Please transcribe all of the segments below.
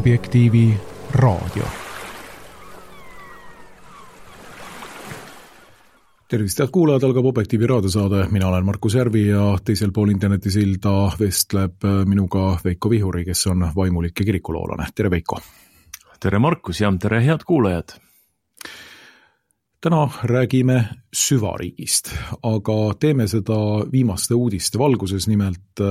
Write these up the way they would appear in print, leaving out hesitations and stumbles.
Objektiivi raadio. Tervist, head kuulajad, algab Objektiivi raadiosaade. Mina olen Markus Järvi ja teisel pool internetisilda vestleb minuga Veiko Vihuri, kes on vaimulik ja kirikuloolane. Tere, Veiko! Tere, Markus, ja tere, head kuulajad! Täna räägime süvariigist, aga teeme seda viimaste uudiste valguses. Nimelt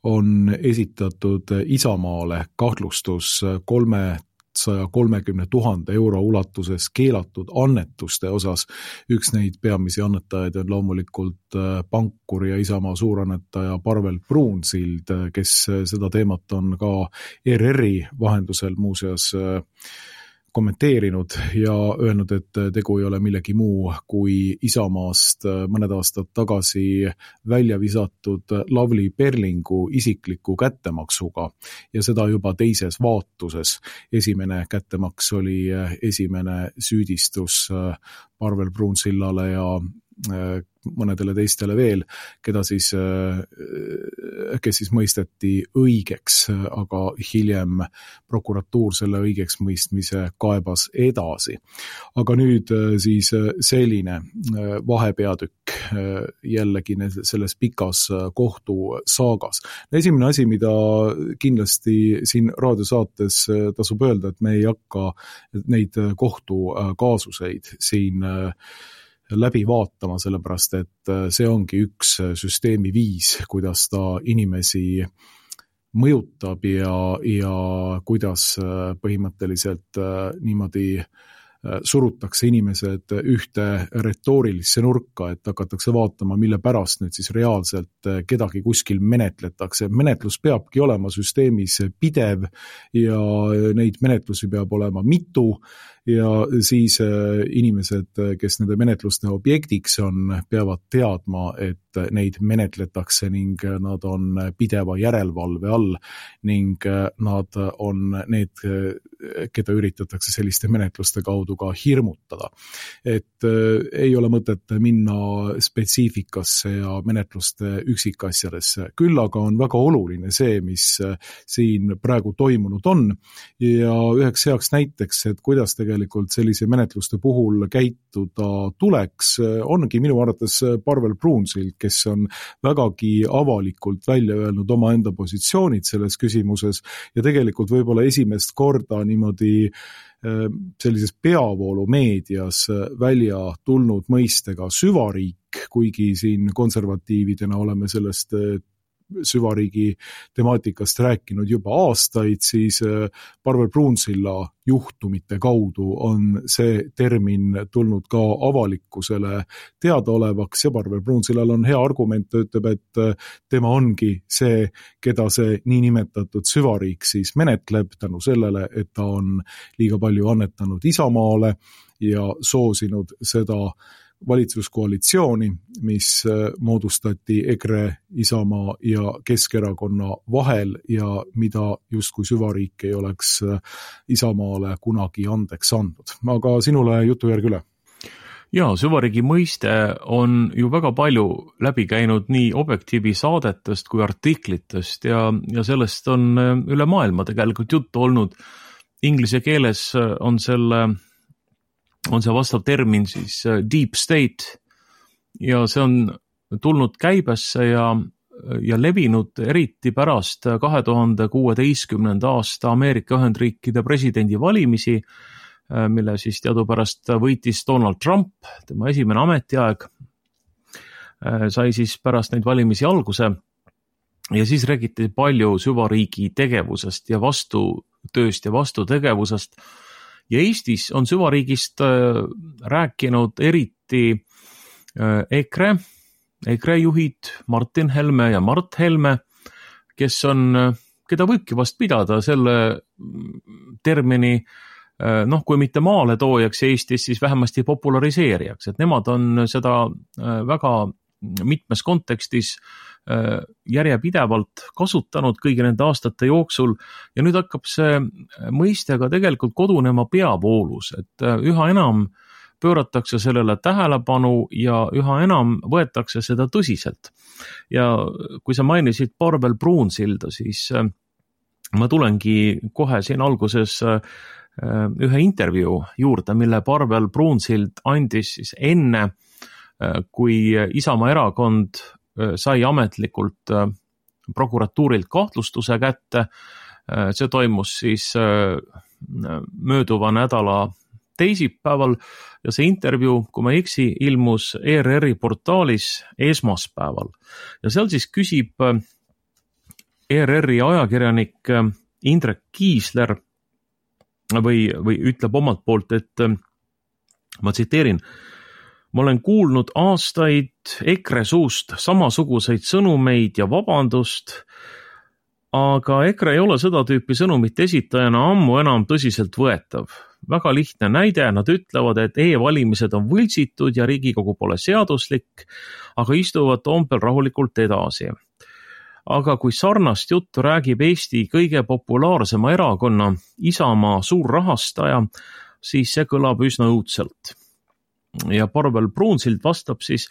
on esitatud Isamaale kahtlustus 330 000 euro ulatuses keelatud annetuste osas. Üks neid peamisi annetajaid on loomulikult pankur ja Isamaa suurannetaja Parvel Pruunsild, kes seda teemat on ka ERR-i vahendusel muuseas kommenteerinud ja öelnud, et tegu ei ole millegi muu kui Isamaast mõned aastad tagasi välja visatud Lavly Perlingu isikliku kättemaksuga ja seda juba teises vaatuses. Esimene kättemaks oli esimene süüdistus Parvel Pruunsillale ja mõnedele teistele veel, kes siis mõisteti õigeks, aga hiljem prokuratuur selle õigeks mõistmise kaebas edasi. Aga nüüd siis selline vahepeatükk jällegi selles pikas kohtusaagas. Esimene asi, mida kindlasti siin raadiosaates tasub öelda, et me ei hakka neid kohtukaasuseid siin läbi vaatama, sellepärast et see ongi üks süsteemi viis, kuidas ta inimesi mõjutab ja kuidas põhimõtteliselt niimoodi surutakse inimesed ühte retoorilisse nurka, et hakatakse vaatama, mille pärast nüüd siis reaalselt kedagi kuskil menetletakse. Menetlus peabki olema süsteemis pidev ja neid menetlusi peab olema mitu ja siis inimesed, kes nende menetluste objektiks on, peavad teadma, et neid menetletakse ning nad on pideva järelevalve all ning nad on need, keda üritatakse selliste menetluste kaudu ka hirmutada. Et ei ole mõtet minna spetsiifikasse ja menetluste üksikasjadesse. Küll aga on väga oluline see, mis siin praegu toimunud on ja üheks heaks näiteks, et kuidas tegelikult sellise menetluste puhul käituda tuleks, ongi minu arvates Parvel Pruunsild, kes on vägagi avalikult välja öelnud oma enda positsioonid selles küsimuses ja tegelikult võib-olla esimest korda niimoodi sellises peavoolu meedias välja tulnud mõistega süvariik, kuigi siin konservatiividena oleme sellest süvariigi temaatikast rääkinud juba aastaid, siis Parvel Pruunsilla juhtumite kaudu on see termin tulnud ka avalikkusele teadaolevaks ja Parvel Pruunsillal on hea argument, ütleb, et tema ongi see, keda see niinimetatud süvariik siis menetleb tänu sellele, et ta on liiga palju annetanud Isamaale ja soosinud seda valitsuskoalitsiooni, mis moodustati EKRE, Isamaa ja Keskerakonna vahel ja mida justkui süvariik ei oleks Isamaale kunagi andeks andnud. Aga sinule jutu järgi üle. Jaa, süvariigi mõiste on ju väga palju läbi käinud nii Objektiivi saadetest kui artiklitest ja sellest on üle maailma tegelikult juttu olnud. Inglise keeles on see vastav termin siis deep state ja see on tulnud käibesse ja levinud eriti pärast 2016. aasta Ameerika Ühendriikide presidendivalimisi, mille siis teadupärast võitis Donald Trump, tema esimene ametiaeg sai siis pärast neid valimisi alguse ja siis räägiti palju süvariigi tegevusest ja vastutööst ja vastutegevusest. Ja Eestis on süvariigist rääkinud eriti EKRE juhid Martin Helme ja Mart Helme, keda võibki vast pidada selle termini, kui mitte maaletoojaks Eestis, siis vähemasti populariseerijaks, et nemad on seda väga mitmes kontekstis järjepidevalt kasutanud kõigi nende aastate jooksul ja nüüd hakkab see mõiste ka tegelikult kodunema peavoolus, et üha enam pööratakse sellele tähelepanu ja üha enam võetakse seda tõsiselt. Ja kui sa mainisid Parvel Pruunsilda, siis ma tulengi kohe siin alguses ühe intervjuu juurde, mille Parvel Pruunsild andis siis enne, kui Isamaa erakond sai ametlikult prokuratuurilt kahtlustuse kätte. See toimus siis mööduva nädala teisipäeval ja see intervjuu, kui ma ei eksi, ilmus ERR-i portaalis esmaspäeval. Ja seal siis küsib ERR-i ajakirjanik Indrek Kiisler või ütleb omalt poolt, et ma tsiteerin: ma olen kuulnud aastaid EKRE suust samasuguseid sõnumeid ja vabandust, aga EKRE ei ole seda tüüpi sõnumit esitajana ammu enam tõsiselt võetav. Väga lihtne näide, nad ütlevad, et e-valimised on võltsitud ja Riigikogu pole seaduslik, aga istuvad Toompel rahulikult edasi. Aga kui sarnast juttu räägib Eesti kõige populaarsema erakonna Isamaa suurrahastaja, siis see kõlab üsna õudselt. Ja Parvel Pruunsild vastab siis: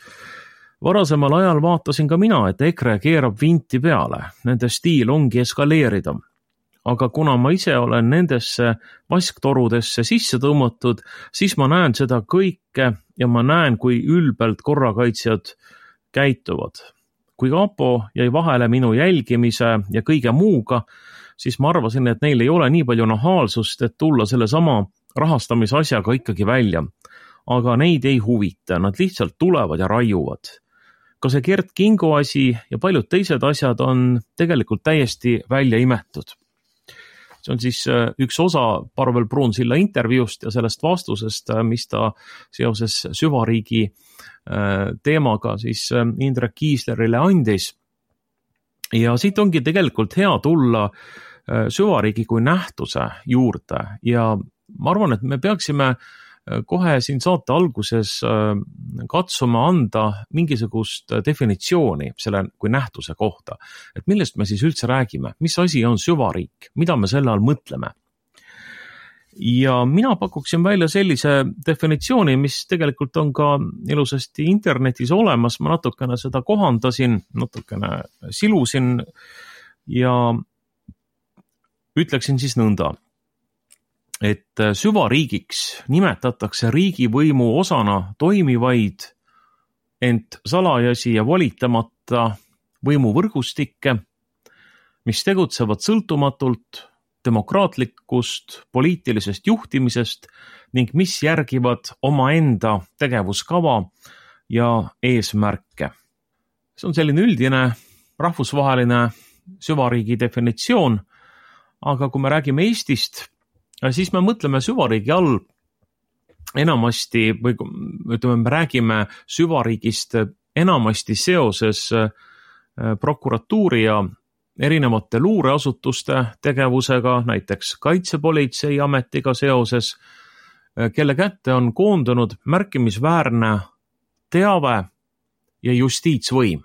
varasemal ajal vaatasin ka mina, et EKRE keerab vinti peale, nende stiil ongi eskaleerida. Aga kuna ma ise olen nendesse vasktorudesse sisse tõmmatud, siis ma näen seda kõike ja ma näen, kui ülbelt korrakaitsjad käituvad. Kui Kapo jäi vahele minu jälgimise ja kõige muuga, siis ma arvasin, et neil ei ole nii palju nahaalsust, et tulla selle sama rahastamisasjaga ikkagi välja. Aga neid ei huvita, nad lihtsalt tulevad ja raiuvad. Ka see Gert Kingo asi ja paljud teised asjad on tegelikult täiesti välja imetud. See on siis üks osa Parvel Pruunsilla intervjuust ja sellest vastusest, mis ta seoses süvariigi teemaga siis Indrek Kiislerile andis. Ja siit ongi tegelikult hea tulla süvariigi kui nähtuse juurde ja ma arvan, et me peaksime kohe siin saate alguses katsuma anda mingisugust definitsiooni selle kui nähtuse kohta. Et millest me siis üldse räägime? Mis asi on süvariik? Mida me selle all mõtleme? Ja mina pakuksin välja sellise definitsiooni, mis tegelikult on ka ilusasti internetis olemas. Ma natukene seda kohandasin, natukene silusin ja ütleksin siis nõnda, et süvariigiks nimetatakse riigivõimu osana toimivaid, ent salajasi ja volitamata võimuvõrgustikke, mis tegutsevad sõltumatult demokraatlikust poliitilisest juhtimisest ning mis järgivad omaenda tegevuskava ja eesmärke. See on selline üldine rahvusvaheline süvariigi definitsioon, aga kui me räägime Eestist, siis me mõtleme süvariigi all enamasti, või ütleme, me räägime süvariigist enamasti seoses prokuratuuri ja erinevate luureasutuste tegevusega, näiteks Kaitsepolitseiametiga seoses, kelle kätte on koondunud märkimisväärne teave ja justiitsvõim.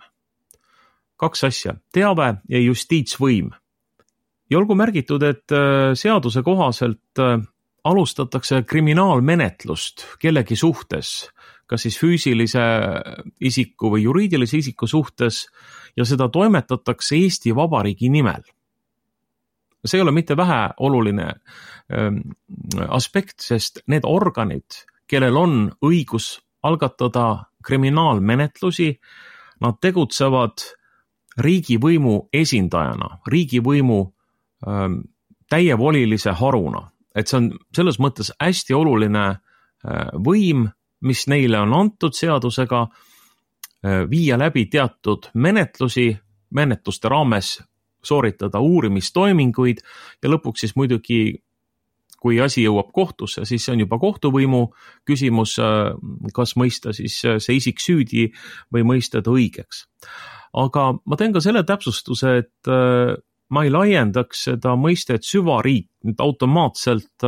Kaks asja, teave ja justiitsvõim. Ja olgu märgitud, et seaduse kohaselt alustatakse kriminaalmenetlust kellegi suhtes, kas siis füüsilise isiku või juriidilise isiku suhtes, ja seda toimetatakse Eesti Vabariigi nimel. See ei ole mitte vähe oluline aspekt, sest need organid, kellel on õigus algatada kriminaalmenetlusi, nad tegutsevad riigivõimu esindajana, riigivõimu täievolilise haruna. Et see on selles mõttes hästi oluline võim, mis neile on antud seadusega, viia läbi teatud menetluste raames sooritada uurimistoiminguid ja lõpuks siis muidugi, kui asi jõuab kohtusse, siis see on juba kohtuvõimu küsimus, kas mõista siis see isik süüdi või mõista ta õigeks. Aga ma teen ka selle täpsustuse, et ma ei laiendaks seda mõistet süvariik nüüd automaatselt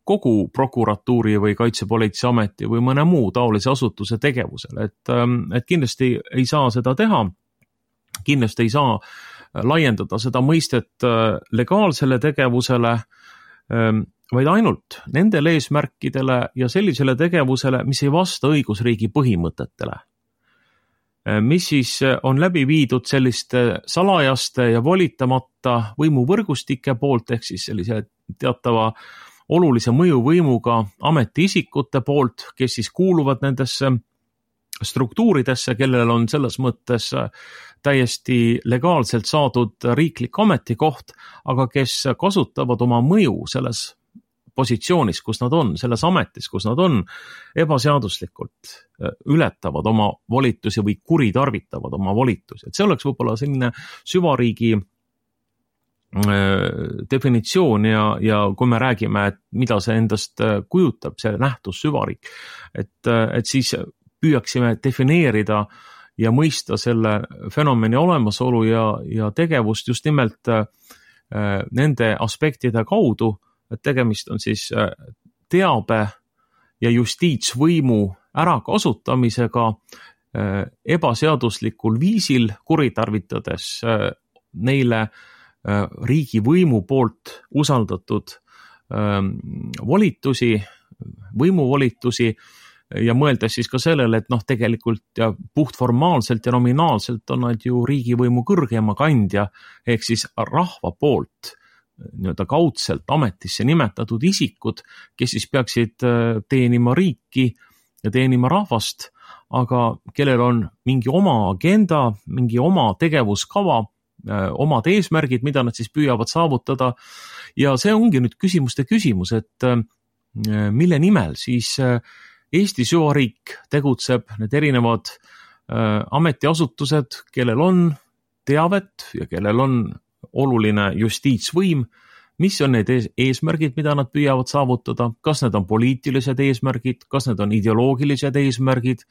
kogu prokuratuuri või Kaitsepolitseiameti või mõne muu taolise asutuse tegevusele. Et kindlasti ei saa seda teha, kindlasti ei saa laiendada seda mõistet legaalsele tegevusele, vaid ainult nendele eesmärkidele ja sellisele tegevusele, mis ei vasta õigusriigi põhimõtetele. mis siis on läbi viidud selliste salajaste ja volitamata võimuvõrgustike poolt, ehk siis sellise teatava olulise mõjuvõimuga ametiisikute poolt, kes siis kuuluvad nendesse struktuuridesse, kellel on selles mõttes täiesti legaalselt saadud riiklik ametikoht, aga kes kasutavad oma mõju selles positsioonis, kus nad on, selles ametis, kus nad on, ebaseaduslikult ületavad oma volitusi või kuritarvitavad oma volitusi. Et see oleks võib-olla selline süvariigi definitsioon ja kui me räägime, et mida see endast kujutab, see nähtus süvariik, et siis püüaksime defineerida ja mõista selle fenomeni olemasolu ja tegevust just nimelt nende aspektide kaudu, et tegemist on siis teabe ja justiitsvõimu ärakasutamisega ebaseaduslikul viisil, kuritarvitades neile riigivõimu poolt usaldatud volitusi, võimuvolitusi ja mõeldes siis ka sellele, et tegelikult ja puhtformaalselt ja nominaalselt on nad ju riigivõimu kõrgema kandja, ehk siis rahva poolt nii-öelda kaudselt ametisse nimetatud isikud, kes siis peaksid teenima riiki ja teenima rahvast, aga kellel on mingi oma agenda, mingi oma tegevuskava, omad eesmärgid, mida nad siis püüavad saavutada. Ja see ongi nüüd küsimuste küsimus, et mille nimel siis Eesti süvariik tegutseb, need erinevad ametiasutused, kellel on teavet ja kellel on oluline justiitsvõim, mis on need eesmärgid, mida nad püüavad saavutada, kas need on poliitilised eesmärgid, kas need on ideoloogilised eesmärgid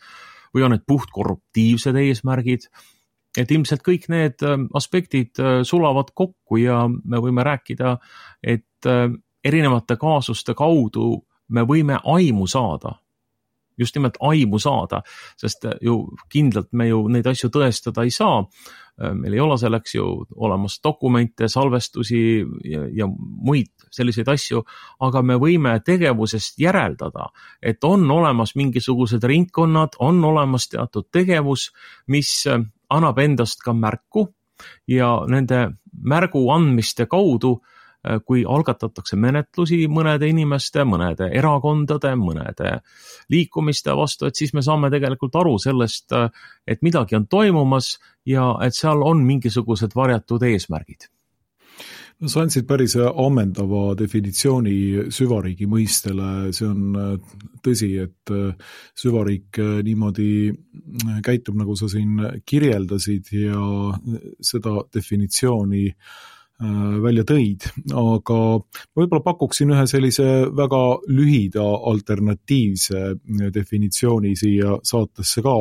või on need puhtkorruptiivsed eesmärgid. Et ilmselt kõik need aspektid sulavad kokku ja me võime rääkida, et erinevate kaasuste kaudu me võime aimu saada, just nimelt aimu saada, sest ju kindlalt me ju neid asju tõestada ei saa. Meil ei ole selleks ju olemas dokumente, salvestusi ja muid selliseid asju, aga me võime tegevusest järeldada, et on olemas mingisugused ringkonnad, on olemas teatud tegevus, mis annab endast ka märku ja nende märgu andmiste kaudu, kui algatatakse menetlusi mõnede inimeste, mõnede erakondade, mõnede liikumiste vastu, et siis me saame tegelikult aru sellest, et midagi on toimumas ja et seal on mingisugused varjatud eesmärgid. No, sa andsid päris ammendava definitsiooni süvariigi mõistele. See on tõsi, et süvariik niimoodi käitub, nagu sa siin kirjeldasid ja seda definitsiooni välja tõid, aga võib-olla pakuksin ühe sellise väga lühida alternatiivse definitsiooni siia saatesse ka,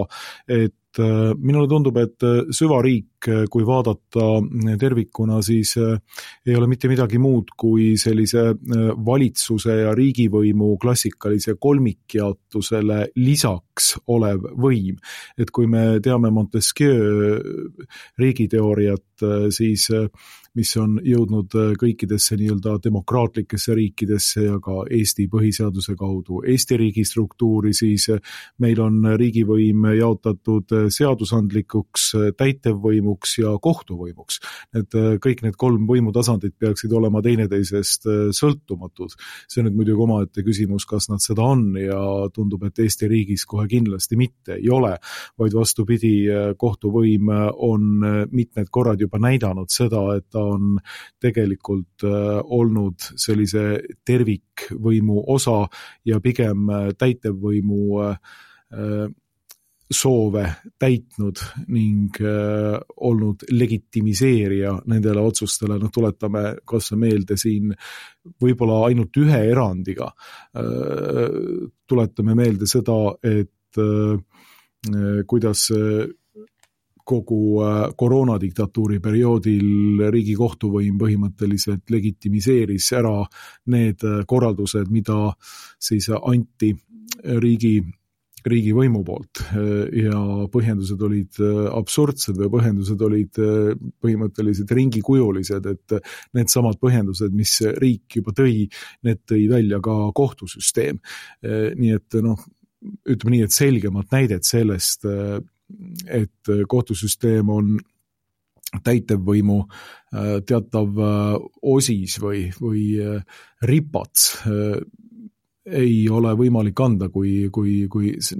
et minule tundub, et süvariik, kui vaadata tervikuna, siis ei ole mitte midagi muud kui sellise valitsuse ja riigivõimu klassikalise kolmikjaotusele lisaks olev võim. Et kui me teame Montesquieu riigiteooriat, siis mis on jõudnud kõikidesse nii-öelda demokraatlikesse riikidesse ja ka Eesti põhiseaduse kaudu Eesti riigi struktuuri, siis meil on riigivõim jaotatud seadusandlikuks, täitevvõimuks ja kohtuvõimuks. Et kõik need kolm võimutasandit peaksid olema teineteisest sõltumatud. See on nüüd muidugi omaette küsimus, kas nad seda on ja tundub, et Eesti riigis kohe kindlasti mitte ei ole, vaid vastupidi, kohtuvõim on mitmed korrad juba näidanud seda, et ta on tegelikult olnud sellise tervikvõimu osa ja pigem täitevvõimu soove täitnud ning olnud legitimiseerija nendele otsustele. Tuletame kas meelde siin võib-olla ainult ühe erandiga. Tuletame meelde seda, et kuidas kogu koroonadiktatuuri perioodil riigi kohtuvõim põhimõtteliselt legitimiseeris ära need korraldused, mida siis anti riigivõimu poolt ja põhjendused olid absurdsed või põhjendused olid põhimõtteliselt ringikujulised, et need samad põhjendused, mis riik juba tõi, need tõi välja ka kohtusüsteem. Nii et ütleme nii, et selgemat näidet sellest et kohtusüsteem on täitevvõimu teatav osis või ripats, ei ole võimalik anda kui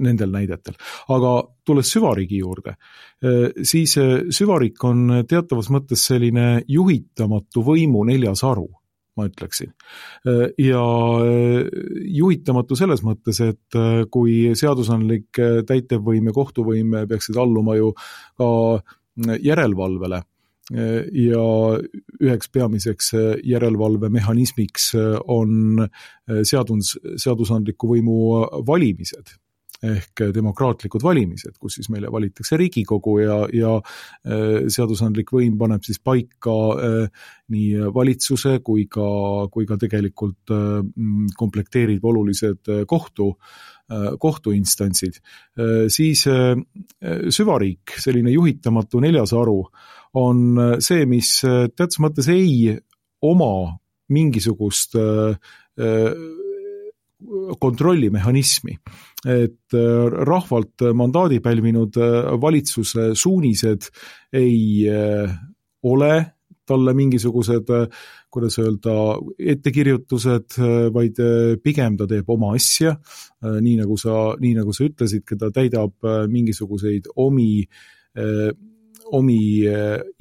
nendel näidetel. Aga tulles süvariigi juurde, siis süvariik on teatavas mõttes selline juhitamatu võimu neljas aru, ma ütleksin. Ja juhitamatu selles mõttes, et kui seadusandlik täitevvõim ja kohtuvõim peaksid alluma ju ka järelevalvele ja üheks peamiseks järelevalvemehhanismiks on seadusandliku võimu valimised ehk demokraatlikud valimised, kus siis meile valitakse Riigikogu ja seadusandlik võim paneb siis paika nii valitsuse kui ka tegelikult komplekteerib olulised kohtuinstantsid. Siis süvariik, selline juhitamatu neljas aru, on see, mis teatud mõttes ei oma mingisugust kontrollimehhanismi, et rahvalt mandaadi pälvinud valitsuse suunised ei ole talle mingisugused, kuidas öelda, ettekirjutused, vaid pigem ta teeb oma asja, nii nagu sa ütlesid, ta täidab mingisuguseid omi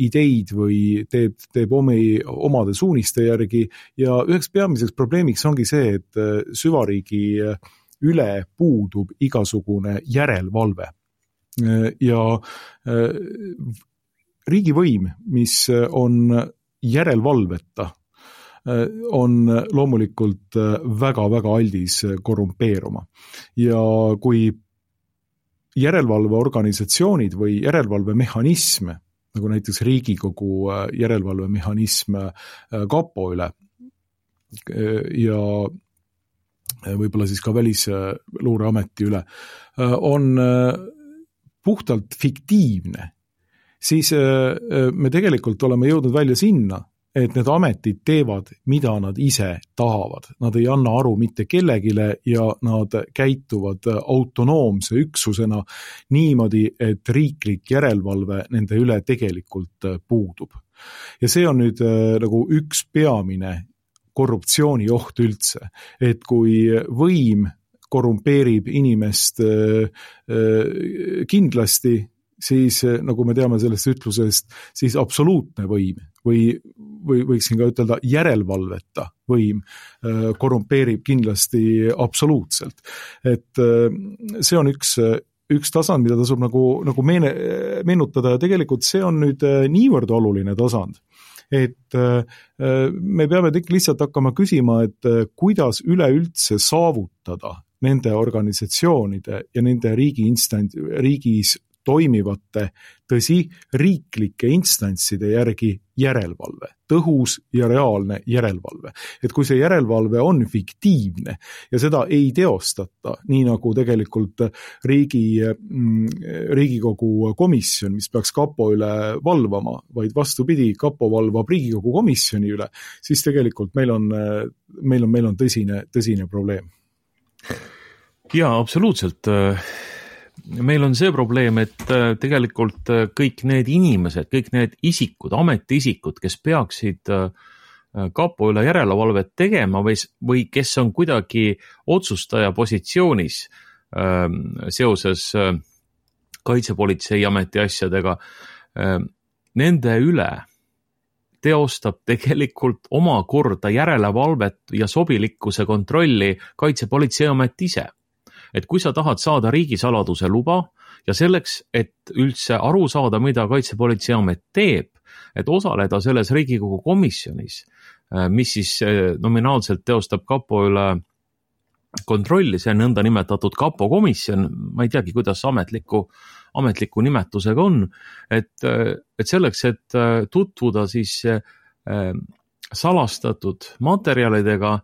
ideid või teeb omade suuniste järgi ja üheks peamiseks probleemiks ongi see, et süvariigi üle puudub igasugune järelevalve. Ja riigivõim, mis on järelevalveta, on loomulikult väga-väga aldis korrumpeeruma. Ja kui järelevalveorganisatsioonid või järelevalvemehhanism, nagu näiteks Riigikogu järelevalvemehhanism kapo üle ja võib-olla siis ka Välisluureameti üle, on puhtalt fiktiivne, siis me tegelikult oleme jõudnud välja sinna, et need ametid teevad, mida nad ise tahavad. Nad ei anna aru mitte kellegile ja nad käituvad autonoomse üksusena niimoodi, et riiklik järelevalve nende üle tegelikult puudub. Ja see on nüüd nagu üks peamine korruptsioonioht üldse, et kui võim korrumpeerib inimest kindlasti, siis nagu me teame sellest ütlusest, siis absoluutne võim või võiksin ka ütelda järelevalveta võim korrumpeerib kindlasti absoluutselt. Et see on üks tasand, mida tasub nagu meenutada ja tegelikult see on nüüd niivõrd oluline tasand, et me peame lihtsalt hakkama küsima, et kuidas üleüldse saavutada nende organisatsioonide ja nende riigis toimivate, tõsi, riiklike instantside järgi järelevalve, tõhus ja reaalne järelevalve. Et kui see järelevalve on fiktiivne ja seda ei teostata, nii nagu tegelikult Riigikogu komisjon, mis peaks kapo üle valvama, vaid vastupidi, kapo valvab Riigikogu komisjoni üle, siis tegelikult meil on tõsine probleem. Jaa, absoluutselt. Meil on see probleem, et tegelikult kõik need inimesed, kõik need isikud, ametiisikud, kes peaksid kapo üle järelevalvet tegema või kes on kuidagi otsustaja positsioonis seoses Kaitsepolitseiameti asjadega, nende üle teostab tegelikult omakorda järelevalvet ja sobilikkuse kontrolli Kaitsepolitseiamet ise. Et kui sa tahad saada riigisaladuse luba ja selleks, et üldse aru saada, mida Kaitsepolitseiamet teeb, et osaleda selles Riigikogu komisjonis, mis siis nominaalselt teostab kapo üle kontrolli, see nõnda nimetatud kapo komisjon, ma ei teagi, kuidas ametliku nimetusega on, et selleks, et tutvuda siis salastatud materjalidega,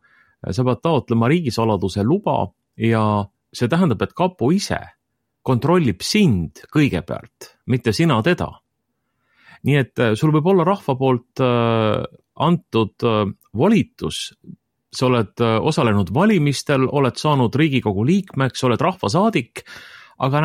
sa pead taotlema riigisaladuse luba ja see tähendab, et kapo ise kontrollib sind kõigepealt, mitte sina teda. Nii et sul võib olla rahva poolt antud volitus, sa oled osalenud valimistel, oled saanud Riigikogu liikmeks, oled rahvasaadik, aga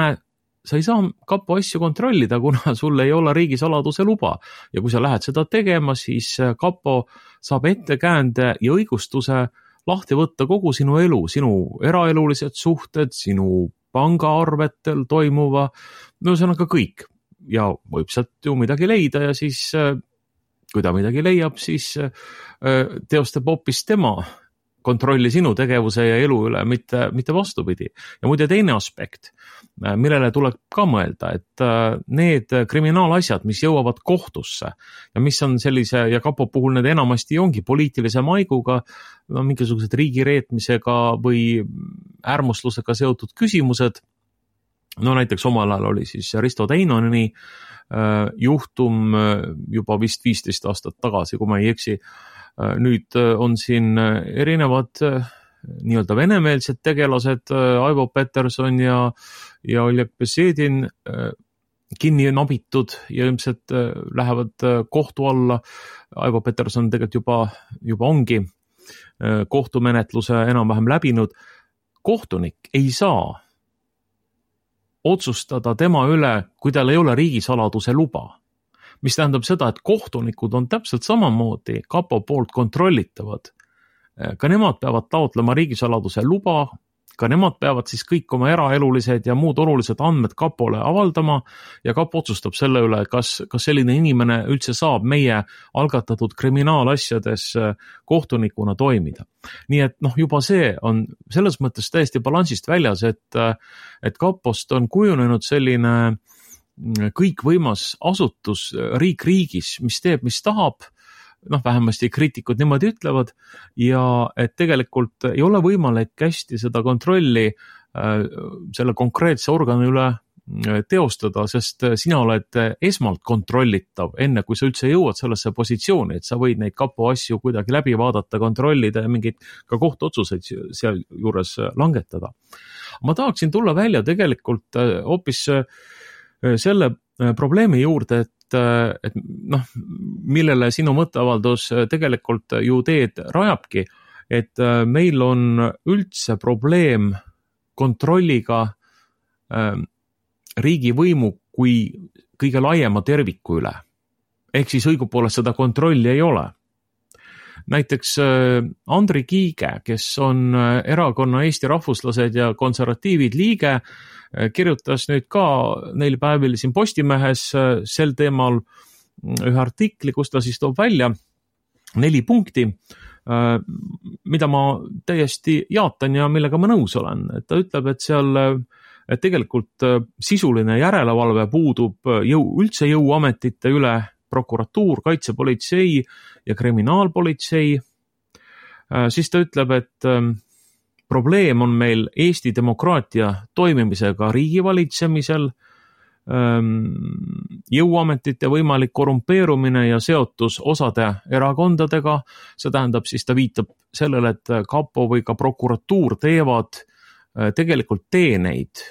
sa ei saa kapo asju kontrollida, kuna sul ei ole riigisaladuse luba. Ja kui sa lähed seda tegema, siis kapo saab ettekäände ja õigustuse lahti võtta kogu sinu elu, sinu eraelulised suhted, sinu pangaarvetel toimuva, no see on aga kõik. Ja võib sealt ju midagi leida ja siis, kui ta midagi leiab, siis teostab hoopis tema kontrolli sinu tegevuse ja elu üle, mitte vastupidi. Ja muide teine aspekt, millele tuleb ka mõelda, et need kriminaalasjad, mis jõuavad kohtusse ja mis on sellise, ja kapo puhul need enamasti ongi poliitilise maiguga, no, mingisugused riigireetmisega või äärmuslusega seotud küsimused, no näiteks omal ajal oli siis Risto Teinoni juhtum juba vist 15 aastat tagasi, kui ma ei eksi. Nüüd on siin erinevad nii-öelda venemeelsed tegelased, Aivo Peterson ja Oleg Besedin kinni nabitud ja ilmselt lähevad kohtu alla. Aivo Peterson tegelikult juba ongi kohtumenetluse enam-vähem läbinud. Kohtunik ei saa otsustada tema üle, kui tal ei ole riigisaladuse luba. Mis tähendab seda, et kohtunikud on täpselt samamoodi kapo poolt kontrollitavad. Ka nemad peavad taotlema riigisaladuse luba, ka nemad peavad siis kõik oma eraelulised ja muud olulised andmed kapole avaldama ja kapo otsustab selle üle, kas selline inimene üldse saab meie algatatud kriminaalasjades kohtunikuna toimida. Nii et juba see on selles mõttes täiesti balansist väljas, et kapost on kujunenud selline kõikvõimas asutus riik riigis, mis teeb, mis tahab, vähemasti kriitikud niimoodi ütlevad, ja et tegelikult ei ole võimalik hästi seda kontrolli selle konkreetse organi üle teostada, sest sina oled esmalt kontrollitav, enne kui sa üldse jõuad sellesse positsiooni, et sa võid neid kapo asju kuidagi läbi vaadata, kontrollida ja mingeid ka kohtuotsuseid seal juures langetada. Ma tahaksin tulla välja tegelikult hoopis selle probleemi juurde, et millele sinu mõtteavaldus tegelikult ju teed rajabki, et meil on üldse probleem kontrolliga riigivõimu kui kõige laiema terviku üle. Ehk siis õigupoolest seda kontrolli ei ole. Näiteks Andri Kiige, kes on erakonna Eesti Rahvuslased ja konservatiivid liige, kirjutas nüüd ka neil päevil siin Postimehes sel teemal ühe artikli, kus ta siis toob välja 4 punkti, mida ma täiesti jaatan ja millega ma nõus olen. Et ta ütleb, et seal tegelikult sisuline järelevalve puudub üldse jõuametite üle, prokuratuur, kaitsepolitsei ja kriminaalpolitsei. Siis ta ütleb, et probleem on meil Eesti demokraatia toimimisega riigivalitsemisel, jõuametite võimalik korrumpeerumine ja seotus osade erakondadega. See tähendab, siis ta viitab sellele, et kapo või ka prokuratuur teevad tegelikult teeneid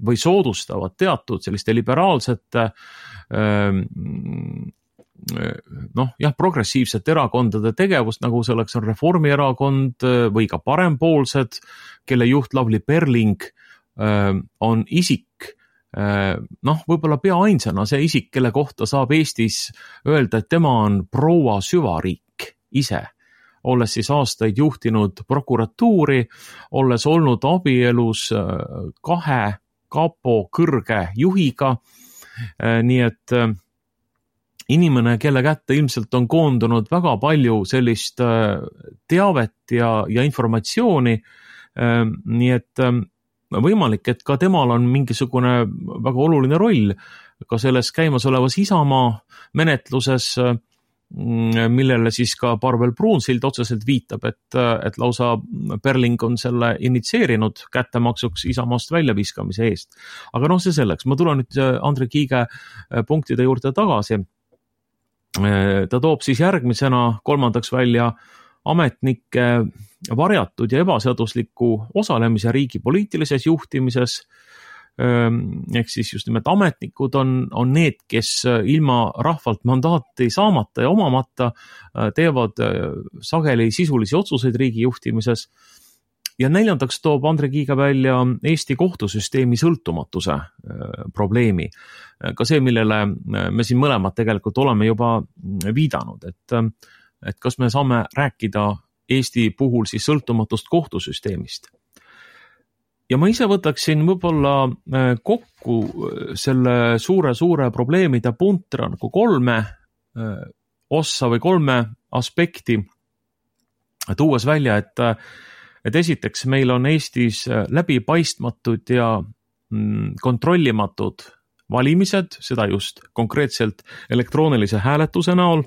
või soodustavad teatud selliste liberaalsete progressiivsete erakondade tegevust, nagu selleks on Reformierakond või ka parempoolsed, kelle juht Lavly Perling on isik, võib-olla pea ainsana see isik, kelle kohta saab Eestis öelda, et tema on proua süvariik ise, olles siis aastaid juhtinud prokuratuuri, olles olnud abielus 2 kapo kõrge juhiga, nii et inimene, kelle kätte ilmselt on koondunud väga palju sellist teavet ja informatsiooni, nii et võimalik, et ka temal on mingisugune väga oluline roll ka selles käimasolevas Isamaa menetluses, millele siis ka Parvel Pruunsild otseselt viitab, et lausa Perling on selle initseerinud kättemaksuks Isamaast väljaviskamise eest. Aga see selleks, ma tulen nüüd Andri Kiige punktide juurde tagasi. Ta toob siis järgmisena 3. välja ametnike varjatud ja ebaseadusliku osalemise riigi poliitilises juhtimises. Ehk siis just nimelt ametnikud on need, kes ilma rahvalt mandaati saamata ja omamata teevad sageli sisulisi otsuseid riigi juhtimises. Ja neljandaks toob Andre Kiiga välja Eesti kohtusüsteemi sõltumatuse probleemi. Ka see, millele me siin mõlemad tegelikult oleme juba viidanud, et kas me saame rääkida Eesti puhul siis sõltumatust kohtusüsteemist. Ja ma ise võtaksin võib-olla kokku selle suure probleemide puntra nagu 3 ossa või 3 aspekti, tuues välja, et esiteks meil on Eestis läbipaistmatud ja kontrollimatud valimised, seda just konkreetselt elektroonilise hääletuse näol,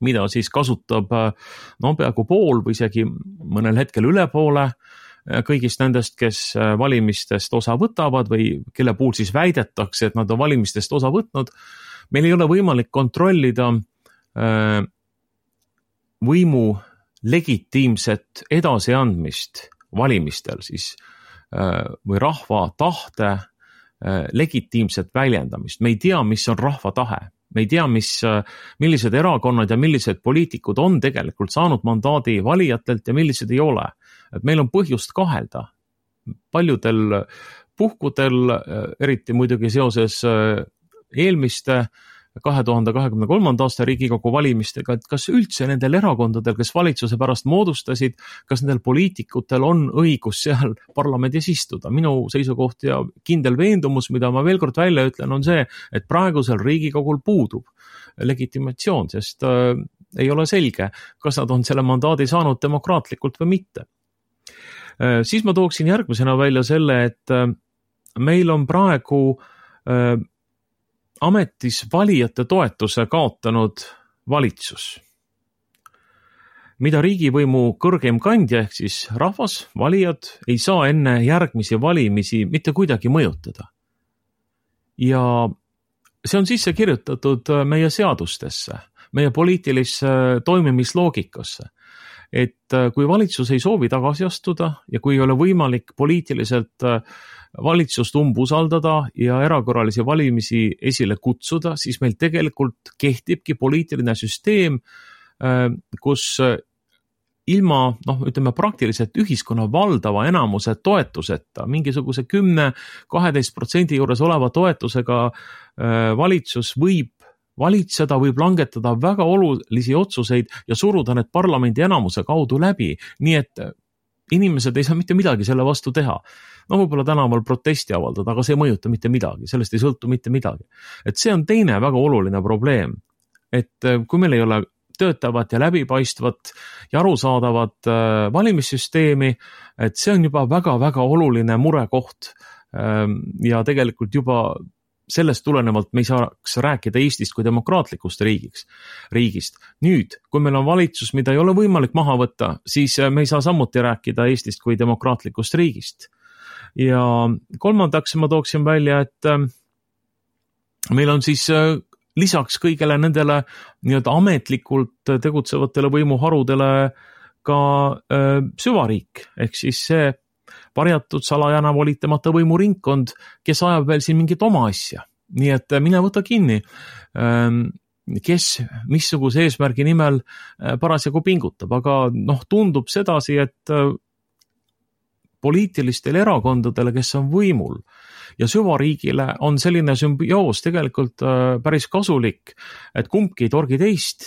mida siis kasutab peaaegu pool või isegi mõnel hetkel üle poole kõigist nendest, kes valimistest osa võtavad või kelle puhul siis väidetakse, et nad on valimistest osa võtnud. Meil ei ole võimalik kontrollida võimu legitiimset edasiandmist valimistel siis või rahva tahte legitiimset väljendamist. Me ei tea, mis on rahva tahe. Me ei tea, millised erakonnad ja millised poliitikud on tegelikult saanud mandaadi valijatelt ja millised ei ole. Et meil on põhjust kahelda. Paljudel puhkudel, eriti muidugi seoses eelmiste 2023. aasta Riigikogu valimistega, et kas üldse nendel erakondadel, kes valitsuse pärast moodustasid, kas nendel poliitikutel on õigus seal parlamendis istuda. Minu seisukoht ja kindel veendumus, mida ma veel kord välja ütlen, on see, et praegusel Riigikogul puudub legitimatsioon, sest ei ole selge, kas nad on selle mandaadi saanud demokraatlikult või mitte. Siis ma tooksin järgmisena välja selle, et meil on praegu ametis valijate toetuse kaotanud valitsus, mida riigivõimu kõrgem kandja ehk siis rahvas, valijad ei saa enne järgmisi valimisi mitte kuidagi mõjutada. Ja see on sisse kirjutatud meie seadustesse, meie poliitilisse toimimisloogikasse, et kui valitsus ei soovi tagasi astuda ja kui ei ole võimalik poliitiliselt valitsust umbusaldada ja erakorralisi valimisi esile kutsuda, siis meil tegelikult kehtibki poliitiline süsteem, kus ilma, praktiliselt ühiskonna valdava enamuse toetuseta, mingisuguse 10-12% juures oleva toetusega valitsus võib valitseda, võib langetada väga olulisi otsuseid ja suruda need parlamendi enamuse kaudu läbi, nii et inimesed ei saa mitte midagi selle vastu teha. Võib-olla tänaval protesti avaldada, aga see ei mõjuta mitte midagi, sellest ei sõltu mitte midagi. Et see on teine väga oluline probleem, et kui meil ei ole töötavat ja läbipaistvat ja arusaadavat valimissüsteemi, et see on juba väga-väga oluline murekoht ja tegelikult juba sellest tulenevalt me ei saaks rääkida Eestist kui demokraatlikust riigist. Nüüd, kui meil on valitsus, mida ei ole võimalik maha võtta, siis me ei saa samuti rääkida Eestist kui demokraatlikust riigist. Ja kolmandaks ma tooksin välja, et meil on siis lisaks kõigele nendele nii-öelda ametlikult tegutsevatele võimuharudele ka süvariik, ehk siis see varjatud salajana volitamata võimuringkond, kes ajab veel siin mingit oma asja. Nii et mine võta kinni, kes missuguse eesmärgi nimel parasjagu pingutab, aga tundub sedasi, et poliitilistel erakondadele, kes on võimul ja süvariigile on selline sümbioos tegelikult päris kasulik, et kumbki ei torgi teist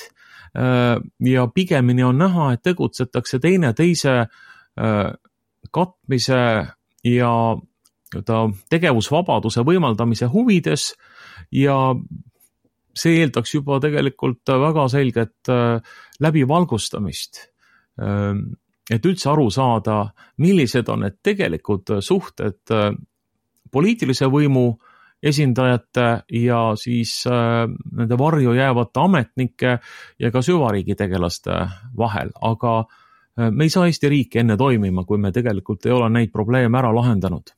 ja pigemini on näha, et tegutsetakse teine teise katmise ja tegevusvabaduse võimaldamise huvides ja see eeldaks juba tegelikult väga selget läbivalgustamist, et üldse aru saada, millised on need tegelikud suhted poliitilise võimu esindajate ja siis nende varju jäävate ametnike ja ka süvariigi tegelaste vahel, aga me ei saa Eesti riiki enne toimima, kui me tegelikult ei ole neid probleeme ära lahendanud.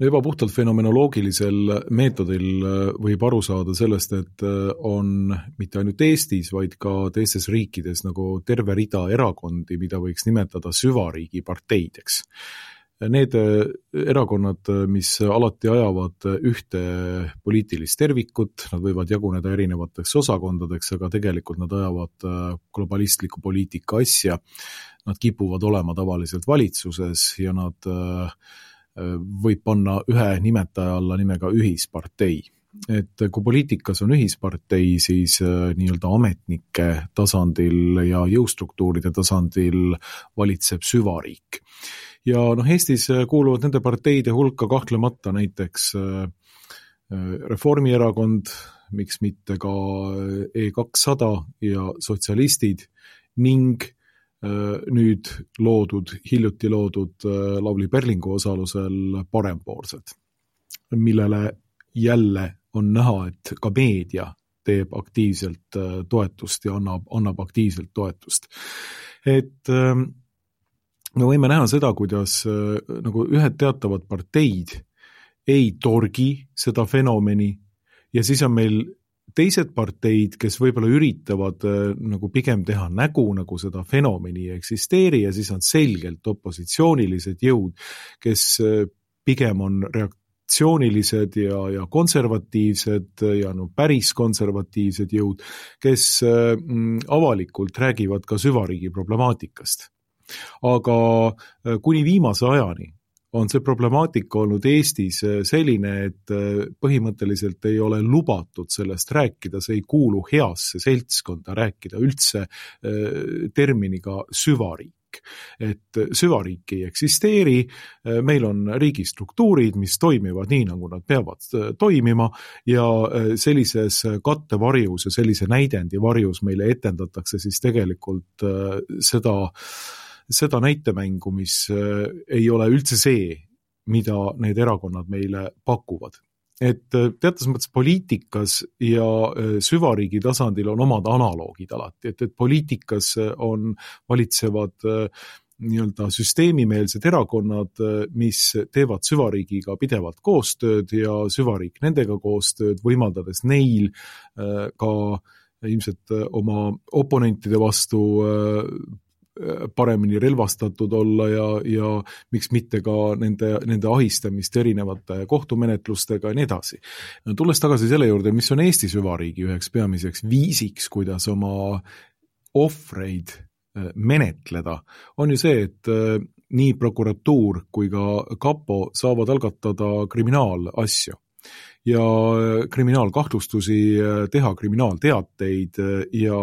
Juba puhtalt fenomenoloogilisel meetodil võib aru saada sellest, et on mitte ainult Eestis, vaid ka teistes riikides nagu terve rida erakondi, mida võiks nimetada süvariigi parteideks. Need erakonnad, mis alati ajavad ühte poliitilist tervikut, nad võivad jaguneda erinevateks osakondadeks, aga tegelikult nad ajavad globalistliku poliitika asja. nad kipuvad olema tavaliselt valitsuses ja nad võib panna ühe nimetaja alla nimega ühispartei. Et kui poliitikas on ühispartei, siis nii-öelda ametnike tasandil ja jõustruktuuride tasandil valitseb süvariik. Ja Eestis kuuluvad nende parteide hulka kahtlemata näiteks Reformierakond, miks mitte ka E200 ja sotsialistid ning nüüd hiljuti loodud Lavly Perlingu osalusel parempoolsed, millele jälle on näha, et ka meedia teeb aktiivselt toetust ja annab aktiivselt toetust. Et me võime näha seda, kuidas nagu ühed teatavad parteid ei torgi seda fenomeni ja siis on meil teised parteid, kes võib-olla üritavad nagu pigem teha nägu, nagu seda fenomeni ei eksisteeri ja siis on selgelt opositsioonilised jõud, kes pigem on reaktsioonilised ja konservatiivsed ja päris konservatiivsed jõud, kes avalikult räägivad ka süvariigi problemaatikast. Aga kuni viimase ajani on see problemaatika olnud Eestis selline, et põhimõtteliselt ei ole lubatud sellest rääkida, see ei kuulu heasse seltskonda rääkida üldse terminiga süvariik. Et süvariik ei eksisteeri, meil on riigistruktuurid, mis toimivad nii, nagu nad peavad toimima ja sellises kattevarjus ja sellise näidendi varjus meile etendatakse siis tegelikult seda näitemängu, mis ei ole üldse see, mida need erakonnad meile pakuvad. Et teatas mõttes poliitikas ja süvariigi tasandil on omad analoogid alati, et poliitikas valitsevad nii-öelda süsteemimeelsed erakonnad, mis teevad süvariigiga pidevalt koostööd ja süvariik nendega koostööd, võimaldades neil ka ilmselt oma oponentide vastu paremini relvastatud olla ja miks mitte ka nende ahistamist erinevate kohtumenetlustega ja nii edasi. Tulles tagasi selle juurde, mis on Eesti süvariigi üheks peamiseks viisiks, kuidas oma ohvreid menetleda, on ju see, et nii prokuratuur kui ka kapo saavad algatada kriminaalasju ja kriminaalkahtlustusi, teha kriminaalteateid ja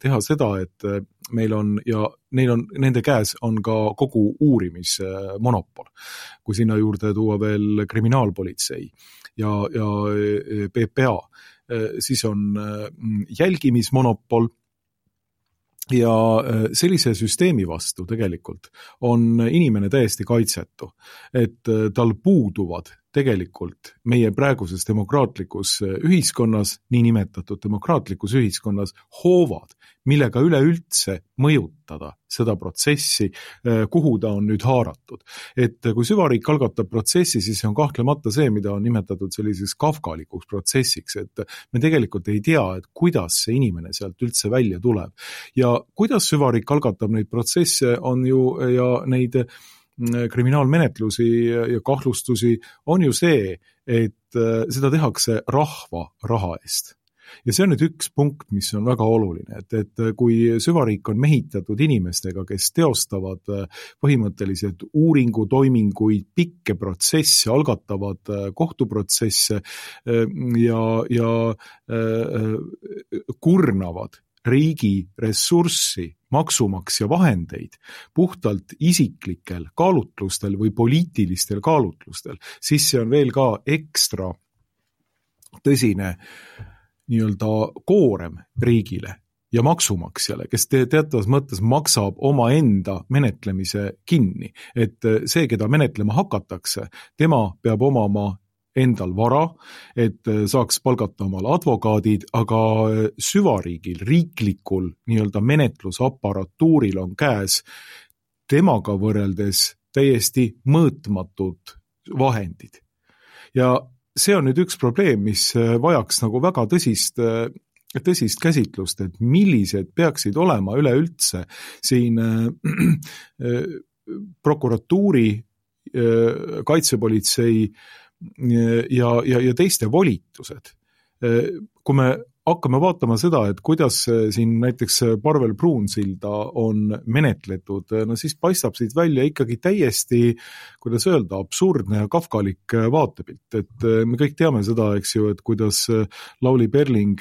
teha seda, et meil on ja nende käes on ka kogu uurimismonopol. Kui sinna juurde tuua veel kriminaalpolitsei ja PPA, siis on jälgimismonopol ja sellise süsteemi vastu tegelikult on inimene täiesti kaitsetu, et tal puuduvad tegelikult meie praeguses demokraatlikus ühiskonnas, nii nimetatud demokraatlikus ühiskonnas, hoovad, millega üleüldse mõjutada seda protsessi, kuhu ta on nüüd haaratud. Et kui süvariik algatab protsessi, siis see on kahtlemata see, mida on nimetatud selliseks kafkalikuks protsessiks, et me tegelikult ei tea, et kuidas see inimene sealt üldse välja tuleb. Ja kuidas süvariik algatab neid protsesse on ju ja neid kriminaalmenetlusi ja kahtlustusi on ju see, et seda tehakse rahva raha eest. Ja see on nüüd üks punkt, mis on väga oluline, et kui süvariik on mehitatud inimestega, kes teostavad põhimõtteliselt uuringutoiminguid, pikke protsesse, algatavad kohtuprotsesse ja kurnavad riigi ressurssi, maksumaksja vahendeid puhtalt isiklikel kaalutlustel või poliitilistel kaalutlustel, siis see on veel ka ekstra tõsine nii-öelda koorem riigile ja maksumaksjale, kes teatavas mõttes maksab oma enda menetlemise kinni. Et see, keda menetlema hakatakse, tema peab omama endal vara, et saaks palgata omale advokaadid, aga süvariigil, riiklikul nii-öelda menetlusaparatuuril on käes temaga võrreldes täiesti mõõtmatud vahendid. Ja see on nüüd üks probleem, mis vajaks nagu väga tõsist käsitlust, et millised peaksid olema üleüldse siin prokuratuuri, kaitsepolitsei ja teiste volitused. Kui me hakkame vaatama seda, et kuidas siin näiteks Parvel Pruunsilda on menetletud, no siis paistab siit välja ikkagi täiesti, kuidas öelda, absurdne ja kafkalik vaatepilt. Et me kõik teame seda, eks ju, et kuidas Lavly Perling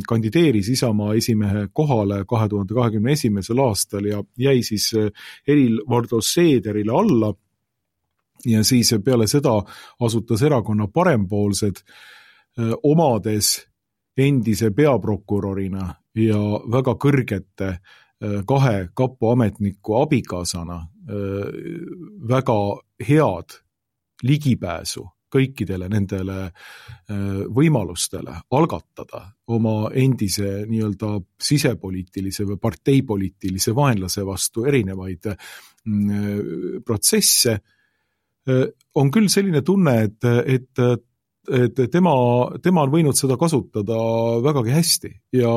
kandideeris Isamaa esimehe kohale 2021. aastal ja jäi siis Helir-Valdor Seederile alla ja siis peale seda asutas erakonna Parempoolsed omades endise peaprokurorina ja väga kõrgete kahe kapo ametniku abikaasana väga head ligipääsu kõikidele nendele võimalustele algatada oma endise nii-öelda sisepoliitilise või parteipoliitilise vaenlase vastu erinevaid protsesse, on küll selline tunne, et tema on võinud seda kasutada vägagi hästi ja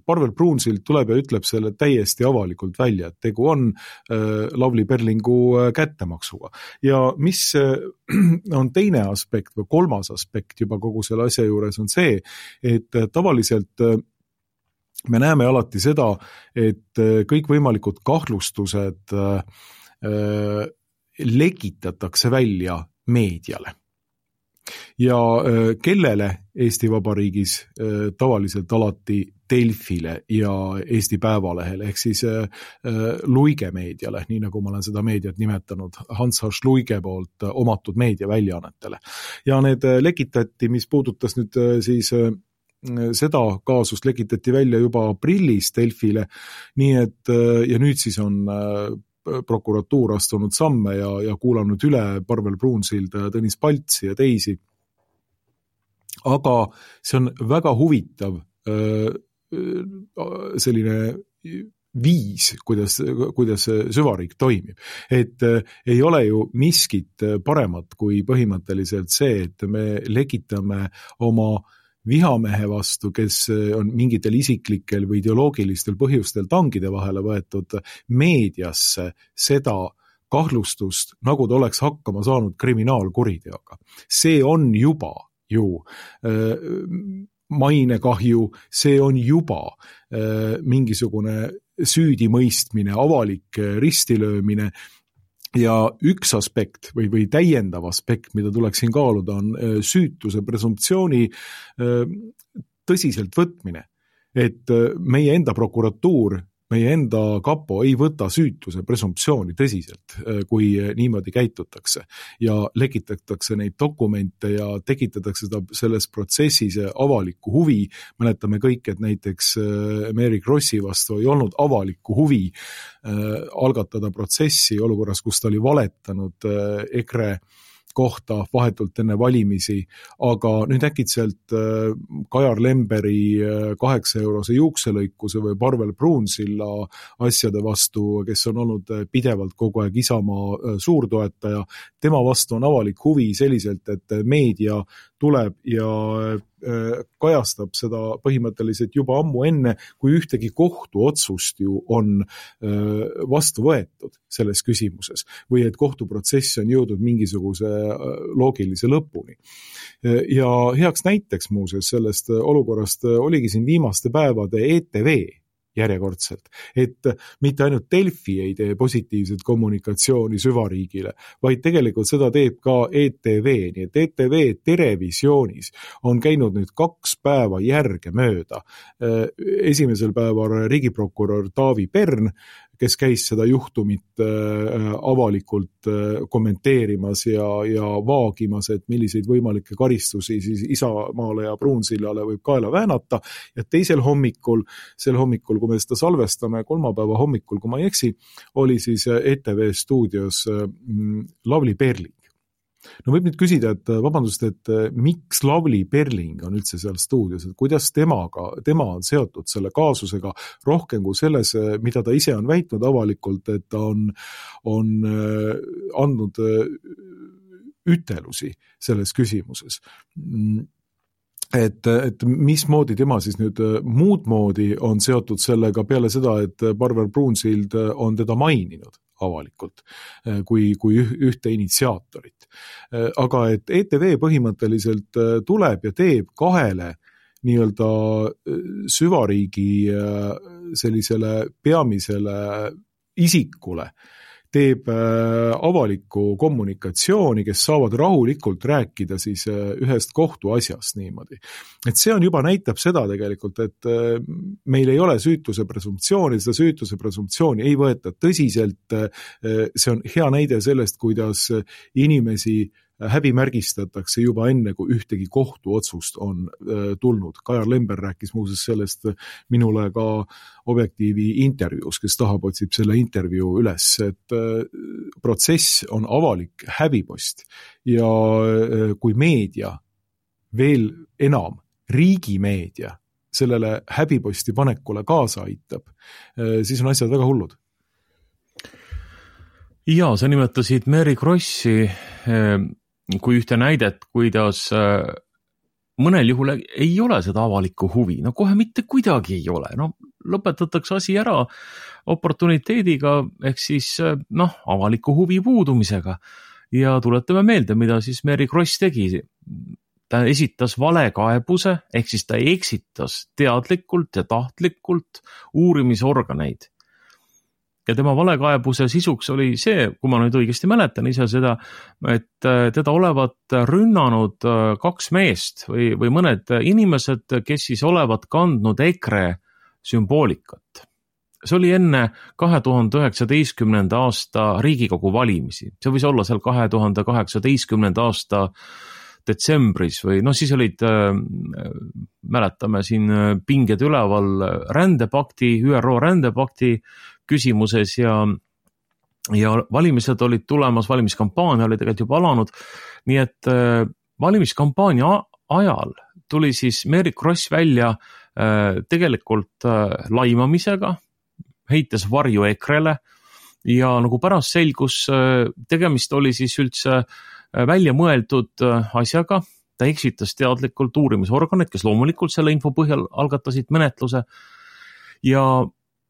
Parvel Pruunsild tuleb ja ütleb selle täiesti avalikult välja, et tegu on Lavly Perlingu kättemaksuga. Ja mis on teine aspekt või kolmas aspekt juba kogu selle asja juures on see, et tavaliselt me näeme alati seda, et kõikvõimalikud kahtlustused lekitatakse välja meediale. Ja kellele Eesti Vabariigis tavaliselt alati Delfile ja Eesti Päevalehele, ehk siis Luige meediale, nii nagu ma olen seda meediat nimetanud, Hans H. Luige poolt omatud meediaväljaannetele. Ja need lekitati, mis puudutas nüüd siis seda kaasust lekitati välja juba aprillis Delfile, nii et ja nüüd siis on prokuratuur astunud samme ja kuulanud üle Parvel Pruunsilda ja Tõnis Paltsi ja teisi. Aga see on väga huvitav selline viis, kuidas süvariik toimib. Et ei ole ju miskit paremat kui põhimõtteliselt see, et me lekitame oma vihamehe vastu, kes on mingitel isiklikel või ideoloogilistel põhjustel tangide vahele võetud meediasse seda kahtlustust, nagu ta oleks hakkama saanud kriminaalkuriteoga. See on juba ju mainekahju, see on juba mingisugune süüdimõistmine, avalik ristilöömine. Ja üks aspekt või täiendav aspekt, mida tuleks siin kaaluda, on süütuse presumptsiooni tõsiselt võtmine. Et meie enda prokuratuur, meie enda kapo ei võta süütuse presumptsiooni tõsiselt, kui niimoodi käitutakse. Ja lekitatakse neid dokumente ja tekitatakse selles protsessis avalikku huvi. Mäletame kõik, et näiteks Mary Krossi vastu ei olnud avalikku huvi algatada protsessi olukorras, kus ta oli valetanud EKRE kohta vahetult enne valimisi, aga nüüd äkitselt Kajar Lemberi 8-eurose juukselõikuse või Parvel Pruunsilla asjade vastu, kes on olnud pidevalt kogu aeg Isamaa suurtoetaja, tema vastu on avalik huvi selliselt, et meedia tuleb ja kajastab seda põhimõtteliselt juba ammu enne, kui ühtegi kohtuotsust ju on vastu võetud selles küsimuses või et kohtuprotsess on jõudnud mingisuguse loogilise lõpuni. Ja heaks näiteks muuseas sellest olukorrast oligi siin viimaste päevade ETV järjekordselt, et mitte ainult Delfi ei tee positiivset kommunikatsiooni süvariigile, vaid tegelikult seda teeb ka ETV, nii et ETV Terevisioonis on käinud nüüd 2 päeva järge mööda. Esimesel päeval riigiprokurör Taavi Pern, kes käis seda juhtumit avalikult kommenteerimas ja vaagimas, et milliseid võimalikke karistusi siis Isamaale ja Pruunsillale võib kaela väänata. Ja teisel hommikul, kui me seda salvestame, kolmapäeva hommikul, kui ma ei eksi, oli siis ETV stuudios Lavly Perling. No võib nüüd küsida, et vabandust, et miks Lavly Perling on üldse seal stuudios, et kuidas tema on seotud selle kaasusega rohkem kui selles, mida ta ise on väitnud avalikult, et ta on andnud ütelusi selles küsimuses. Et mismoodi tema siis nüüd muud moodi on seotud sellega peale seda, et Parvel Pruunsild on teda maininud avalikult kui ühte initsiaatorit. Aga et ETV põhimõtteliselt tuleb ja teeb 2 nii-öelda süvariigi sellisele peamisele isikule teeb avalikku kommunikatsiooni, kes saavad rahulikult rääkida siis ühest kohtuasjast niimoodi. Et see on juba näitab seda tegelikult, et meil ei ole süütuse presumptsiooni, seda süütuse presumptsiooni ei võeta tõsiselt, see on hea näide sellest, kuidas inimesi häbimärgistatakse juba enne, kui ühtegi kohtuotsust on tulnud. Kajar Lember rääkis muuseas sellest minule ka Objektiivi intervjuus, kes tahab, otsib selle intervjuu üles, et protsess on avalik häbipost ja kui meedia, veel enam riigimeedia sellele häbiposti panekule kaasa aitab, siis on asjad väga hullud. Ja, sa nimetasid Mary Krossi kui ühte näidet, kuidas mõnel juhul ei ole seda avalikku huvi. No kohe mitte kuidagi ei ole. No lõpetatakse asi ära oportuniteediga ehk siis avaliku huvi puudumisega. Ja tuletame meelde, mida siis Mary Kross tegi. Ta esitas valekaebuse ehk siis ta eksitas teadlikult ja tahtlikult uurimisorganeid. Ja tema valekaebuse sisuks oli see, kui ma nüüd õigesti mäletan ise seda, et teda olevat rünnanud kaks meest või mõned inimesed, kes siis olevat kandnud EKRE sümboolikat. See oli enne 2019. aasta Riigikogu valimisi. See võis olla seal 2018. aasta detsembris või siis olid, mäletame siin pinged üleval rändepakti, ÜRO rändepakti küsimuses ja valimised olid tulemas, valimiskampaania oli tegelikult juba alanud, nii et valimiskampaania ajal tuli siis Mary Kross välja tegelikult laimamisega, heites varju EKRE-le ja nagu pärast selgus, tegemist oli siis üldse välja mõeldud asjaga, ta eksitas teadlikult uurimisorganid, kes loomulikult selle info põhjal algatasid menetluse ja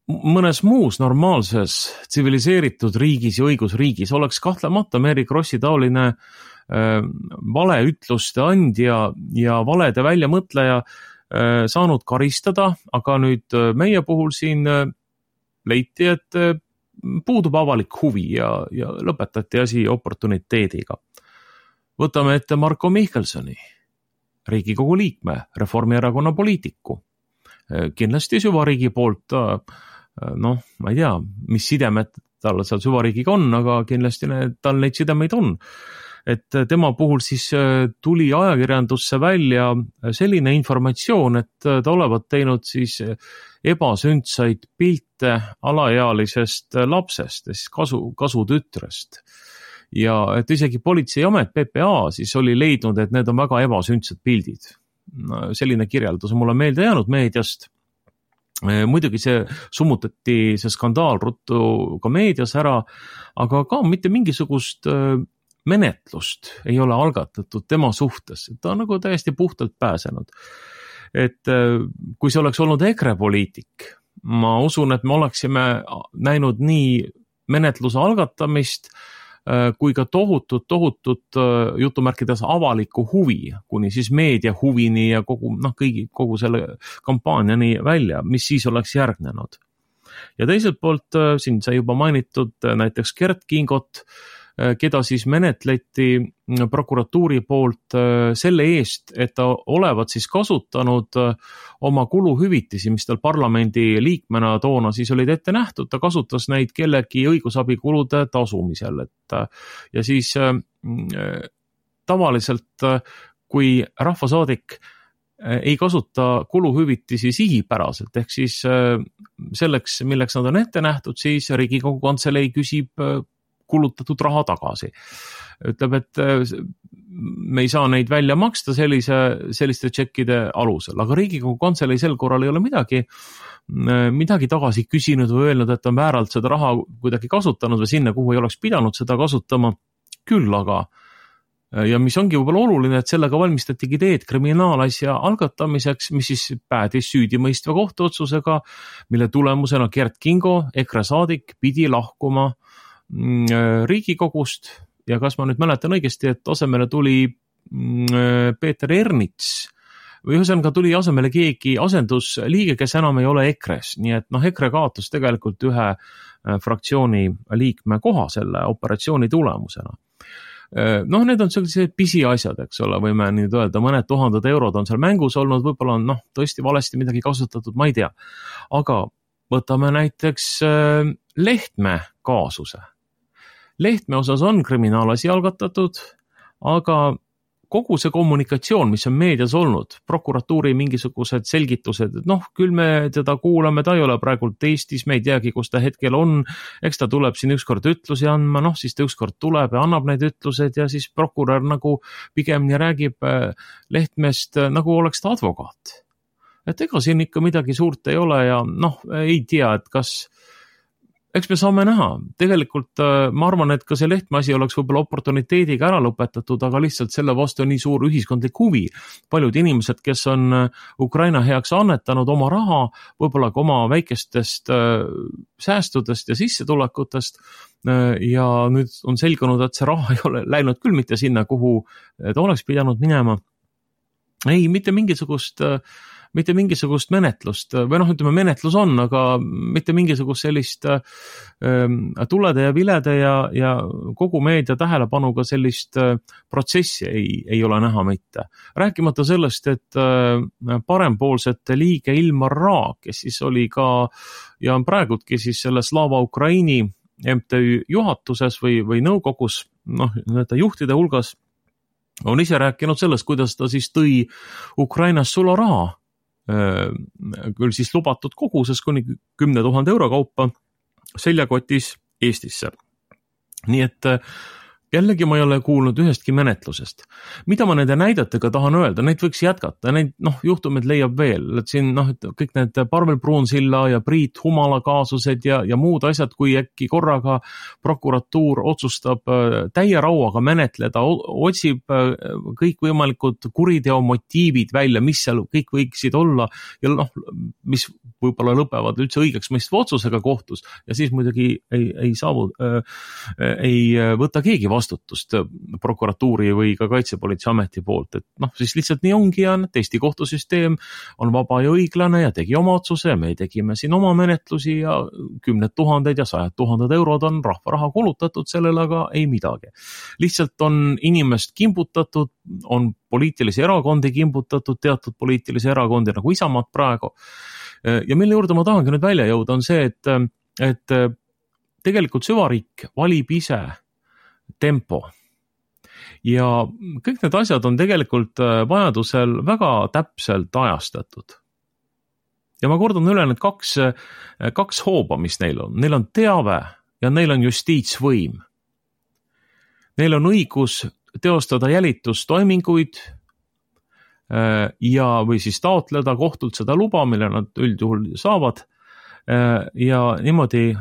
mõnes muus normaalses tsiviliseeritud riigis ja õigusriigis oleks kahtlemata Mary Krossi taoline valeütluste andja ja valede väljamõtleja saanud karistada, aga nüüd meie puhul siin leiti, et puudub avalik huvi ja lõpetati asi oportuniteediga. Võtame ette Marko Mihkelsoni, Riigikogu liikme, Reformierakonna poliitiku. Kindlasti süvariigi poolt ma ei tea, mis sidemed tal seal süvariigiga on, aga kindlasti tal neid sidemeid on. Et tema puhul siis tuli ajakirjandusse välja selline informatsioon, et ta olevat teinud siis ebasündsaid pilte alaealisest lapsest, siis kasutütrest. Ja et isegi politseiamet PPA siis oli leidnud, et need on väga ebasündsad pildid. Selline kirjeldus on mulle meelde jäänud meediast. Muidugi see summutati see skandaal ruttu ka meedias ära, aga ka mitte mingisugust menetlust ei ole algatatud tema suhtes. Ta on nagu täiesti puhtalt pääsenud. Et kui see oleks olnud EKRE poliitik, ma usun, et me oleksime näinud nii menetluse algatamist kui ka tohutut jutumärkides avalikku huvi, kuni siis meedia huvini ja kogu selle kampaaniani välja, mis siis oleks järgnenud. Ja teiselt poolt siin sai juba mainitud näiteks Gert Kingot, keda siis menetleti prokuratuuri poolt selle eest, et ta olevat siis kasutanud oma kuluhüvitisi, mis tal parlamendi liikmena toona siis olid ette nähtud, ta kasutas neid kellegi õigusabikulude tasumisel. Ja siis tavaliselt, kui rahvasaadik ei kasuta kuluhüvitisi sihipäraselt, ehk siis selleks, milleks nad on ette nähtud, siis Riigikogu Kantselei küsib kulutatud raha tagasi. Ütleb, et me ei saa neid välja maksta selliste tšekkide alusel, aga Riigikogu Kantselei sel korral ei ole midagi tagasi küsinud või öelnud, et on vääralt seda raha kuidagi kasutanud või sinna, kuhu ei oleks pidanud seda kasutama. Küll aga, ja mis ongi võib-olla oluline, et sellega valmistatigi teed kriminaalasja algatamiseks, mis siis päädis süüdimõistva kohtuotsusega, mille tulemusena Gert Kingo, EKRE saadik, pidi lahkuma Riigikogust ja kas ma nüüd mäletan õigesti, et asemele tuli Peeter Ernits, või ühesõnaga tuli asemele keegi asendusliige, kes enam ei ole EKRE-s, nii et EKRE kaotas tegelikult ühe fraktsiooni liikme koha selle operatsiooni tulemusena. Need on sellised pisiasjad, eks ole, võime nüüd öelda, mõned tuhanded eurod on seal mängus olnud, võib-olla on tõesti valesti midagi kasutatud, ma ei tea. Aga võtame näiteks Lehtme kaasuse. Lehtme osas on kriminaalasi algatatud, aga kogu see kommunikatsioon, mis on meedias olnud, prokuratuuri mingisugused selgitused, et küll me teda kuulame, ta ei ole praegult Eestis, me ei teagi, kus ta hetkel on, eks ta tuleb siin ükskord ütlusi andma, siis ta ükskord tuleb ja annab need ütlused ja siis prokurör nagu pigemini räägib Lehtmest nagu oleks ta advokaat. Et ega siin ikka midagi suurt ei ole ja ei tea, et eks me saame näha. Tegelikult ma arvan, et ka see Lehtme asi oleks võib-olla oportuniteediga ära lõpetatud, aga lihtsalt selle vastu on nii suur ühiskondlik huvi. Paljud inimesed, kes on Ukraina heaks annetanud oma raha, võib-olla ka oma väikestest säästudest ja sissetulekutest ja nüüd on selgunud, et see raha ei ole läinud küll mitte sinna, kuhu ta oleks pidanud minema. Ei, mitte mingisugust menetlust või ütleme menetlus on, aga mitte mingisugust sellist tulede ja vilede ja kogu meedia tähelepanuga sellist protsessi ei ole näha mitte. Rääkimata sellest, et parempoolsete liige Ilmar Raag, kes siis oli ka ja on praegudki siis selle Slava Ukraini MTÜ juhatuses või nõukogus, juhtide hulgas, on ise rääkinud sellest, kuidas ta siis tõi Ukrainas sularaha küll siis lubatud koguses kuni 10 000 euro kaupa seljakotis Eestisse. Nii et jällegi ma ei ole kuulnud ühestki menetlusest. Mida ma nende näidetega tahan öelda, neid võiks jätkata, neid juhtumid leiab veel, et siin kõik need Parvel Pruunsilla ja Priit Humala kaasused ja muud asjad, kui äkki korraga prokuratuur otsustab täie rauaga menetleda, otsib kõikvõimalikud kuriteo motiivid välja, mis seal kõik võiksid olla ja mis võib-olla lõpevad üldse õigeks mõistva otsusega kohtus ja siis muidugi ei võta keegi vastutust prokuratuuri või ka Kaitsepolitseiameti poolt, et siis lihtsalt nii ongi ja Eesti kohtusüsteem on vaba ja õiglane ja tegi oma otsuse ja me tegime siin oma menetlusi ja 10 000 ja 100 000 eurod on rahva raha kulutatud sellele, aga ei midagi. Lihtsalt on inimest kimbutatud, on poliitilisi erakondi kimbutatud, teatud poliitilisi erakondi nagu Isamaad praegu. Ja mille juurde ma tahangi nüüd välja jõuda on see, et tegelikult süvariik valib ise tempo. Ja kõik need asjad on tegelikult vajadusel väga täpselt ajastatud. Ja ma kordan üle need kaks hooba, mis neil on. Neil on teave ja neil on justiitsvõim. Neil on õigus teostada jälitustoiminguid ja või siis taotleda kohtult seda luba, mille nad üldjuhul saavad ja niimoodi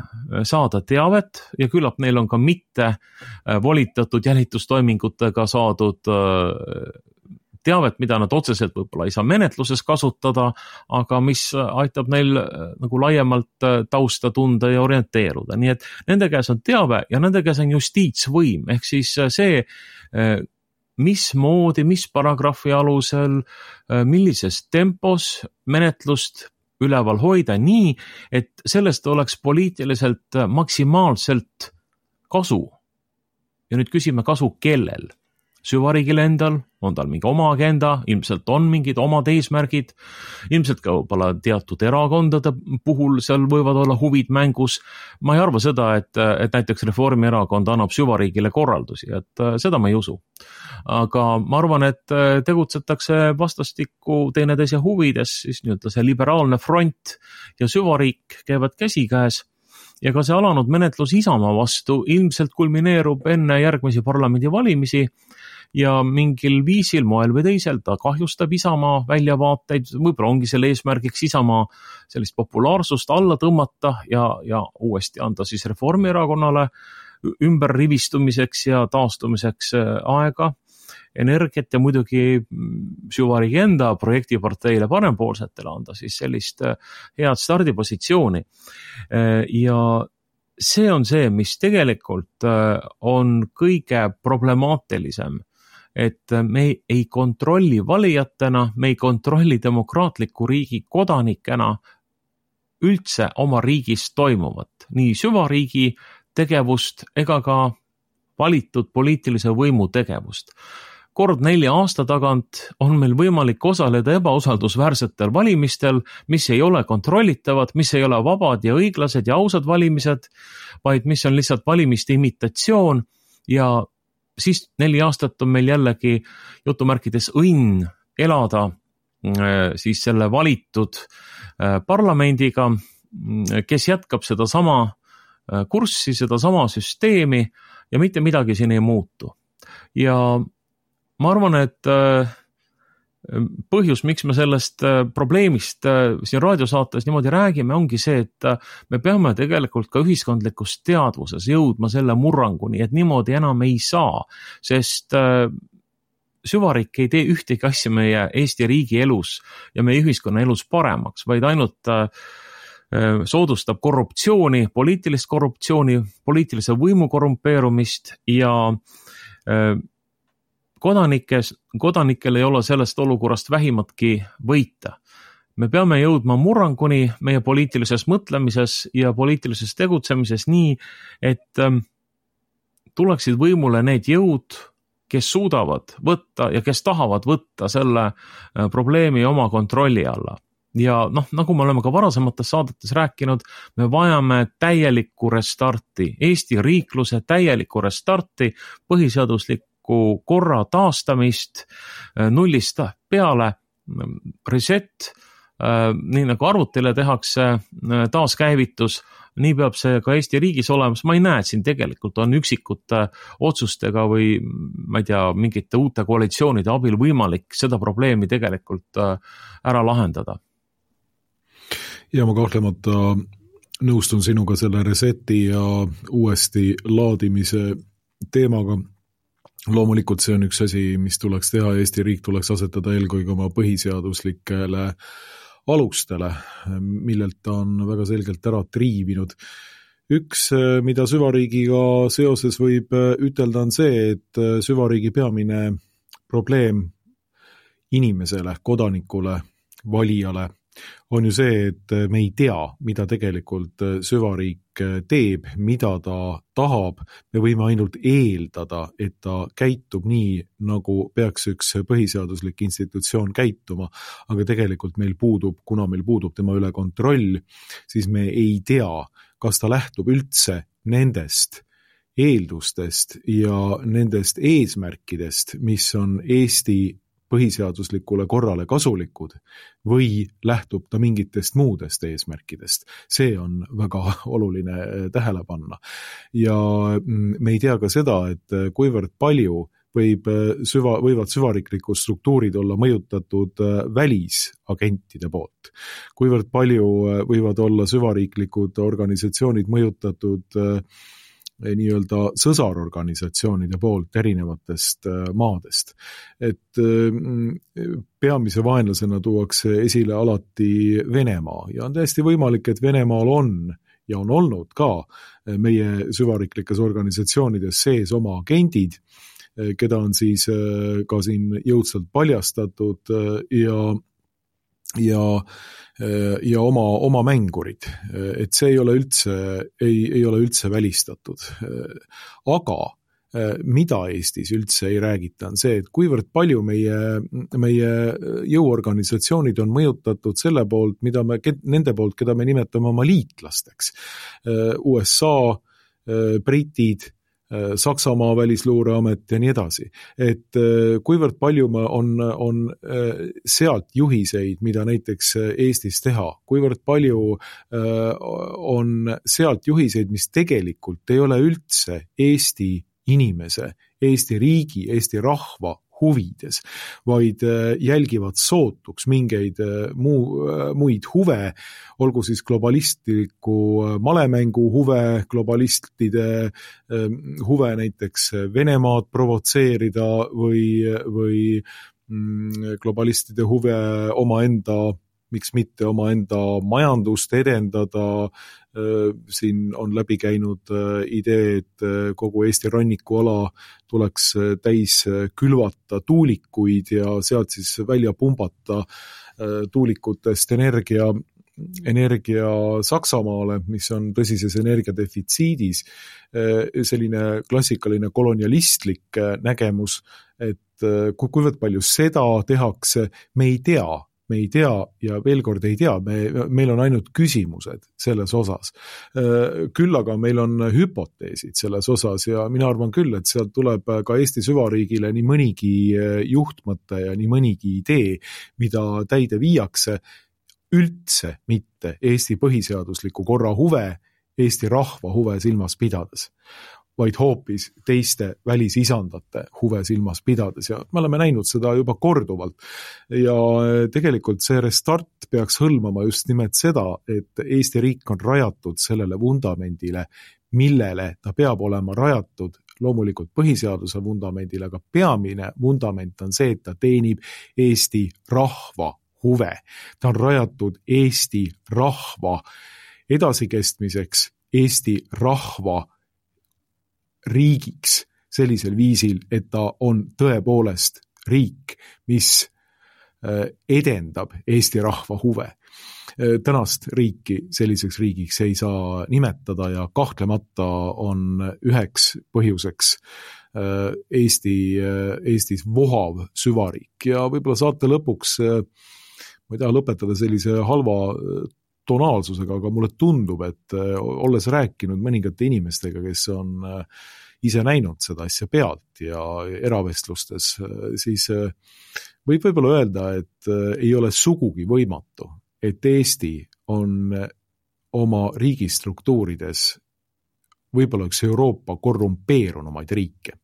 saada teavet ja küllap neil on ka mitte volitatud jälitustoimingutega saadud teavet, mida nad otseselt võib-olla ei saa menetluses kasutada, aga mis aitab neil nagu laiemalt tausta tunda ja orienteeruda. Nii et nende käes on teave ja nende käes on justiitsvõim, ehk siis see mismoodi, mis paragrahvi alusel, millises tempos menetlust üleval hoida nii, et sellest oleks poliitiliselt maksimaalselt kasu. Ja nüüd küsime kasu kellel? Süvariigil endal, on tal mingi oma agenda, ilmselt on mingid omad eesmärgid, ilmselt ka võib-olla teatud erakondade puhul seal võivad olla huvid mängus. Ma ei arva seda, et näiteks Reformierakond annab süvariigile korraldusi, et seda ma ei usu. Aga ma arvan, et tegutsetakse vastastikku teineteise huvides, siis nii-öelda see liberaalne front ja süvariik käivad käsikäes. Ja ka see alanud menetlus Isamaa vastu ilmselt kulmineerub enne järgmisi parlamendivalimisi ja mingil viisil, moel või teisel ta kahjustab Isamaa väljavaateid, võib-olla ongi selle eesmärgiks Isamaa sellist populaarsust alla tõmmata ja uuesti anda siis Reformierakonnale ümberrivistumiseks ja taastumiseks aega, energiat ja muidugi süvariigi enda projektiparteile parempoolsetele anda siis sellist head stardipositsiooni. Ja see on see, mis tegelikult on kõige problemaatilisem et me ei kontrolli valijatena, me ei kontrolli demokraatliku riigi kodanikena üldse oma riigis toimuvat, nii süvariigi tegevust ega ka valitud poliitilise võimu tegevust. Kord 4 aasta tagant on meil võimalik osaleda ebausaldusväärsetel valimistel, mis ei ole kontrollitavad, mis ei ole vabad ja õiglased ja ausad valimised, vaid mis on lihtsalt valimiste imitatsioon ja siis 4 aastat on meil jällegi jutumärkides õnn elada siis selle valitud parlamendiga, kes jätkab seda sama kurssi, seda sama süsteemi ja mitte midagi siin ei muutu. Ja ma arvan, et põhjus, miks me sellest probleemist siin raadiosaates niimoodi räägime, ongi see, et me peame tegelikult ka ühiskondlikus teadvuses jõudma selle murranguni, et niimoodi enam ei saa, sest süvariik ei tee ühtegi asja meie Eesti riigi elus ja meie ühiskonna elus paremaks, vaid ainult soodustab korruptsiooni, poliitilist korruptsiooni, poliitilise võimu korrumpeerumist ja kodanikel ei ole sellest olukorrast vähimatki võita. Me peame jõudma murranguni meie poliitilises mõtlemises ja poliitilises tegutsemises nii, et tuleksid võimule need jõud, kes suudavad võtta ja kes tahavad võtta selle probleemi oma kontrolli alla. Ja nagu me oleme ka varasemates saadetes rääkinud, me vajame täielikku restarti, Eesti riikluse täielikku restarti, põhiseaduslikku korra taastamist, nullist peale, reset, nii nagu arvutile tehakse taaskäivitus, nii peab see ka Eesti riigis olemas. Ma ei näe, et siin tegelikult on üksikute otsustega või ma ei tea, mingite uute koalitsioonide abil võimalik seda probleemi tegelikult ära lahendada. Ja ma kahtlemata nõustun sinuga selle reseti ja uuesti laadimise teemaga. Loomulikult see on üks asi, mis tuleks teha. Eesti riik tuleks asetada eelkõige oma põhiseaduslikele alustele, millelt ta on väga selgelt ära triivinud. Üks, mida süvariigiga seoses võib ütelda, on see, et süvariigi peamine probleem inimesele, kodanikule, valijale on ju see, et me ei tea, mida tegelikult süvariik teeb, mida ta tahab. Me võime ainult eeldada, et ta käitub nii, nagu peaks üks põhiseaduslik institutsioon käituma, aga tegelikult meil puudub, kuna meil puudub tema üle kontroll, siis me ei tea, kas ta lähtub üldse nendest eeldustest ja nendest eesmärkidest, mis on Eesti põhiseaduslikule korrale kasulikud või lähtub ta mingitest muudest eesmärkidest. See on väga oluline tähele panna. Ja me ei tea ka seda, et kuivõrd palju võivad süvariiklikud struktuurid olla mõjutatud välisagentide poolt. Kuivõrd palju võivad olla süvariiklikud organisatsioonid mõjutatud nii-öelda sõsarorganisatsioonide poolt erinevatest maadest. Et peamise vaenlasena tuuakse esile alati Venemaa ja on täiesti võimalik, et Venemaal on ja on olnud ka meie süvariiklikes organisatsioonides sees oma agendid, keda on siis ka siin jõudsalt paljastatud ja oma mängurid, et see ei ole üldse välistatud. Aga mida Eestis üldse ei räägita, on see, et kuivõrd palju meie jõuorganisatsioonid on mõjutatud selle poolt, nende poolt, keda me nimetame oma liitlasteks. USA, britid, Saksamaa välisluureamet ja nii edasi. Et kuivõrd palju on sealt juhiseid, mida näiteks Eestis teha, kuivõrd palju on sealt juhiseid, mis tegelikult ei ole üldse Eesti inimese, Eesti riigi, Eesti rahva huvides, vaid jälgivad sootuks mingeid muid huve, olgu siis globalistliku malemängu huve, globalistide huve näiteks Venemaad provotseerida või globalistide huve omaenda, miks mitte omaenda majandust edendada, siin on läbi käinud idee, et kogu Eesti rannikuala tuleks täis külvata tuulikuid ja sealt siis välja pumbata tuulikutest energia Saksamaale, mis on tõsises energiadefitsiidis, selline klassikaline kolonialistlik nägemus, et kuivõrd palju seda tehakse, me ei tea ja veel kord ei tea, meil on ainult küsimused selles osas. Küll aga meil on hüpoteesid selles osas ja mina arvan küll, et sealt tuleb ka Eesti süvariigile nii mõnigi juhtmõte ja nii mõnigi idee, mida täide viiakse, üldse mitte Eesti põhiseadusliku korra huve, Eesti rahva huve silmas pidades, vaid hoopis teiste välisisandate huve silmas pidades ja me oleme näinud seda juba korduvalt ja tegelikult see restart peaks hõlmama just nimelt seda, et Eesti riik on rajatud sellele vundamendile, millele ta peab olema rajatud, loomulikult põhiseaduse vundamendile, aga peamine vundament on see, et ta teenib Eesti rahva huve. Ta on rajatud Eesti rahva edasikestmiseks, Eesti rahva riigiks sellisel viisil, et ta on tõepoolest riik, mis edendab Eesti rahva huve. Tänast riiki selliseks riigiks ei saa nimetada ja kahtlemata on üheks põhjuseks Eestis vohav süvariik ja võib-olla saate lõpuks, ma ei taha lõpetada sellise halva tonaalsusega, aga mulle tundub, et olles rääkinud mõningate inimestega, kes on ise näinud seda asja pealt ja eravestlustes, siis võib võib-olla öelda, et ei ole sugugi võimatu, et Eesti on oma riigistruktuurides võib-olla üks Euroopa korrumpeerunumaid riike.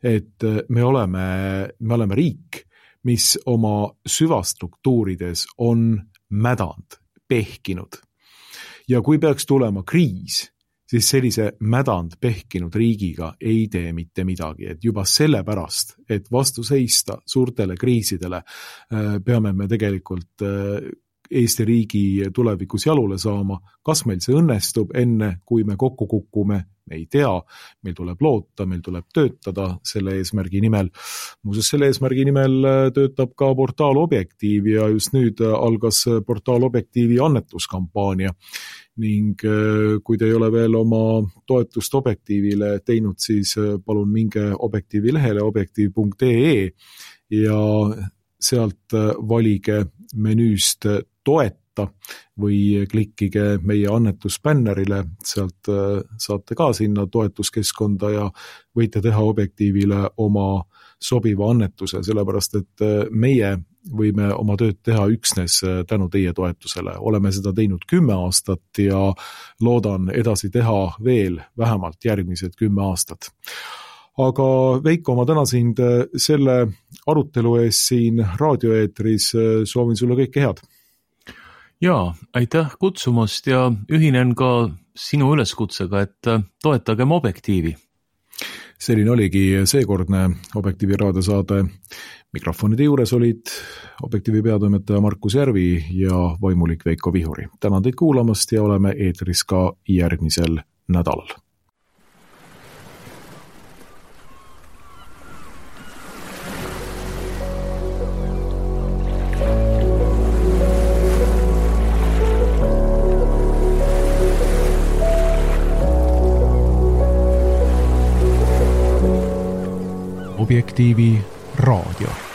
Et me oleme riik, mis oma süvastruktuurides on mädanud, pehkinud. Ja kui peaks tulema kriis, siis sellise mädanud pehkinud riigiga ei tee mitte midagi. Et juba sellepärast, et vastu seista suurtele kriisidele, peame me tegelikult Eesti riigi tulevikus jalule saama. Kas meil see õnnestub enne, kui me kokku kukume, me ei tea. Meil tuleb loota, meil tuleb töötada selle eesmärgi nimel. Muuseas, selle eesmärgi nimel töötab ka portaal Objektiiv ja just nüüd algas portaal Objektiivi annetuskampaania. Ning kui te ei ole veel oma toetust Objektiivile teinud, siis palun minge Objektiivi lehele objektiiv.ee ja sealt valige menüüst toeta või klikkige meie annetusbännerile, sealt saate ka sinna toetuskeskkonda ja võite teha Objektiivile oma sobiva annetuse, sellepärast et meie võime oma tööd teha üksnes tänu teie toetusele. Oleme seda teinud 10 aastat ja loodan edasi teha veel vähemalt järgmised 10 aastat. Aga Veiko, ma tänan sind selle arutelu ees siin raadioeetris, soovin sulle kõike head. Jaa, aitäh kutsumast ja ühinen ka sinu üleskutsega, et toetagem Objektiivi. Selline oligi seekordne Objektiivi raadiosaade. Mikrofonide juures olid Objektiivi peatoimetaja Markus Järvi ja vaimulik Veiko Vihuri. Tänan teid kuulamast ja oleme eetris ka järgmisel nädalal. Objektiivi raadio.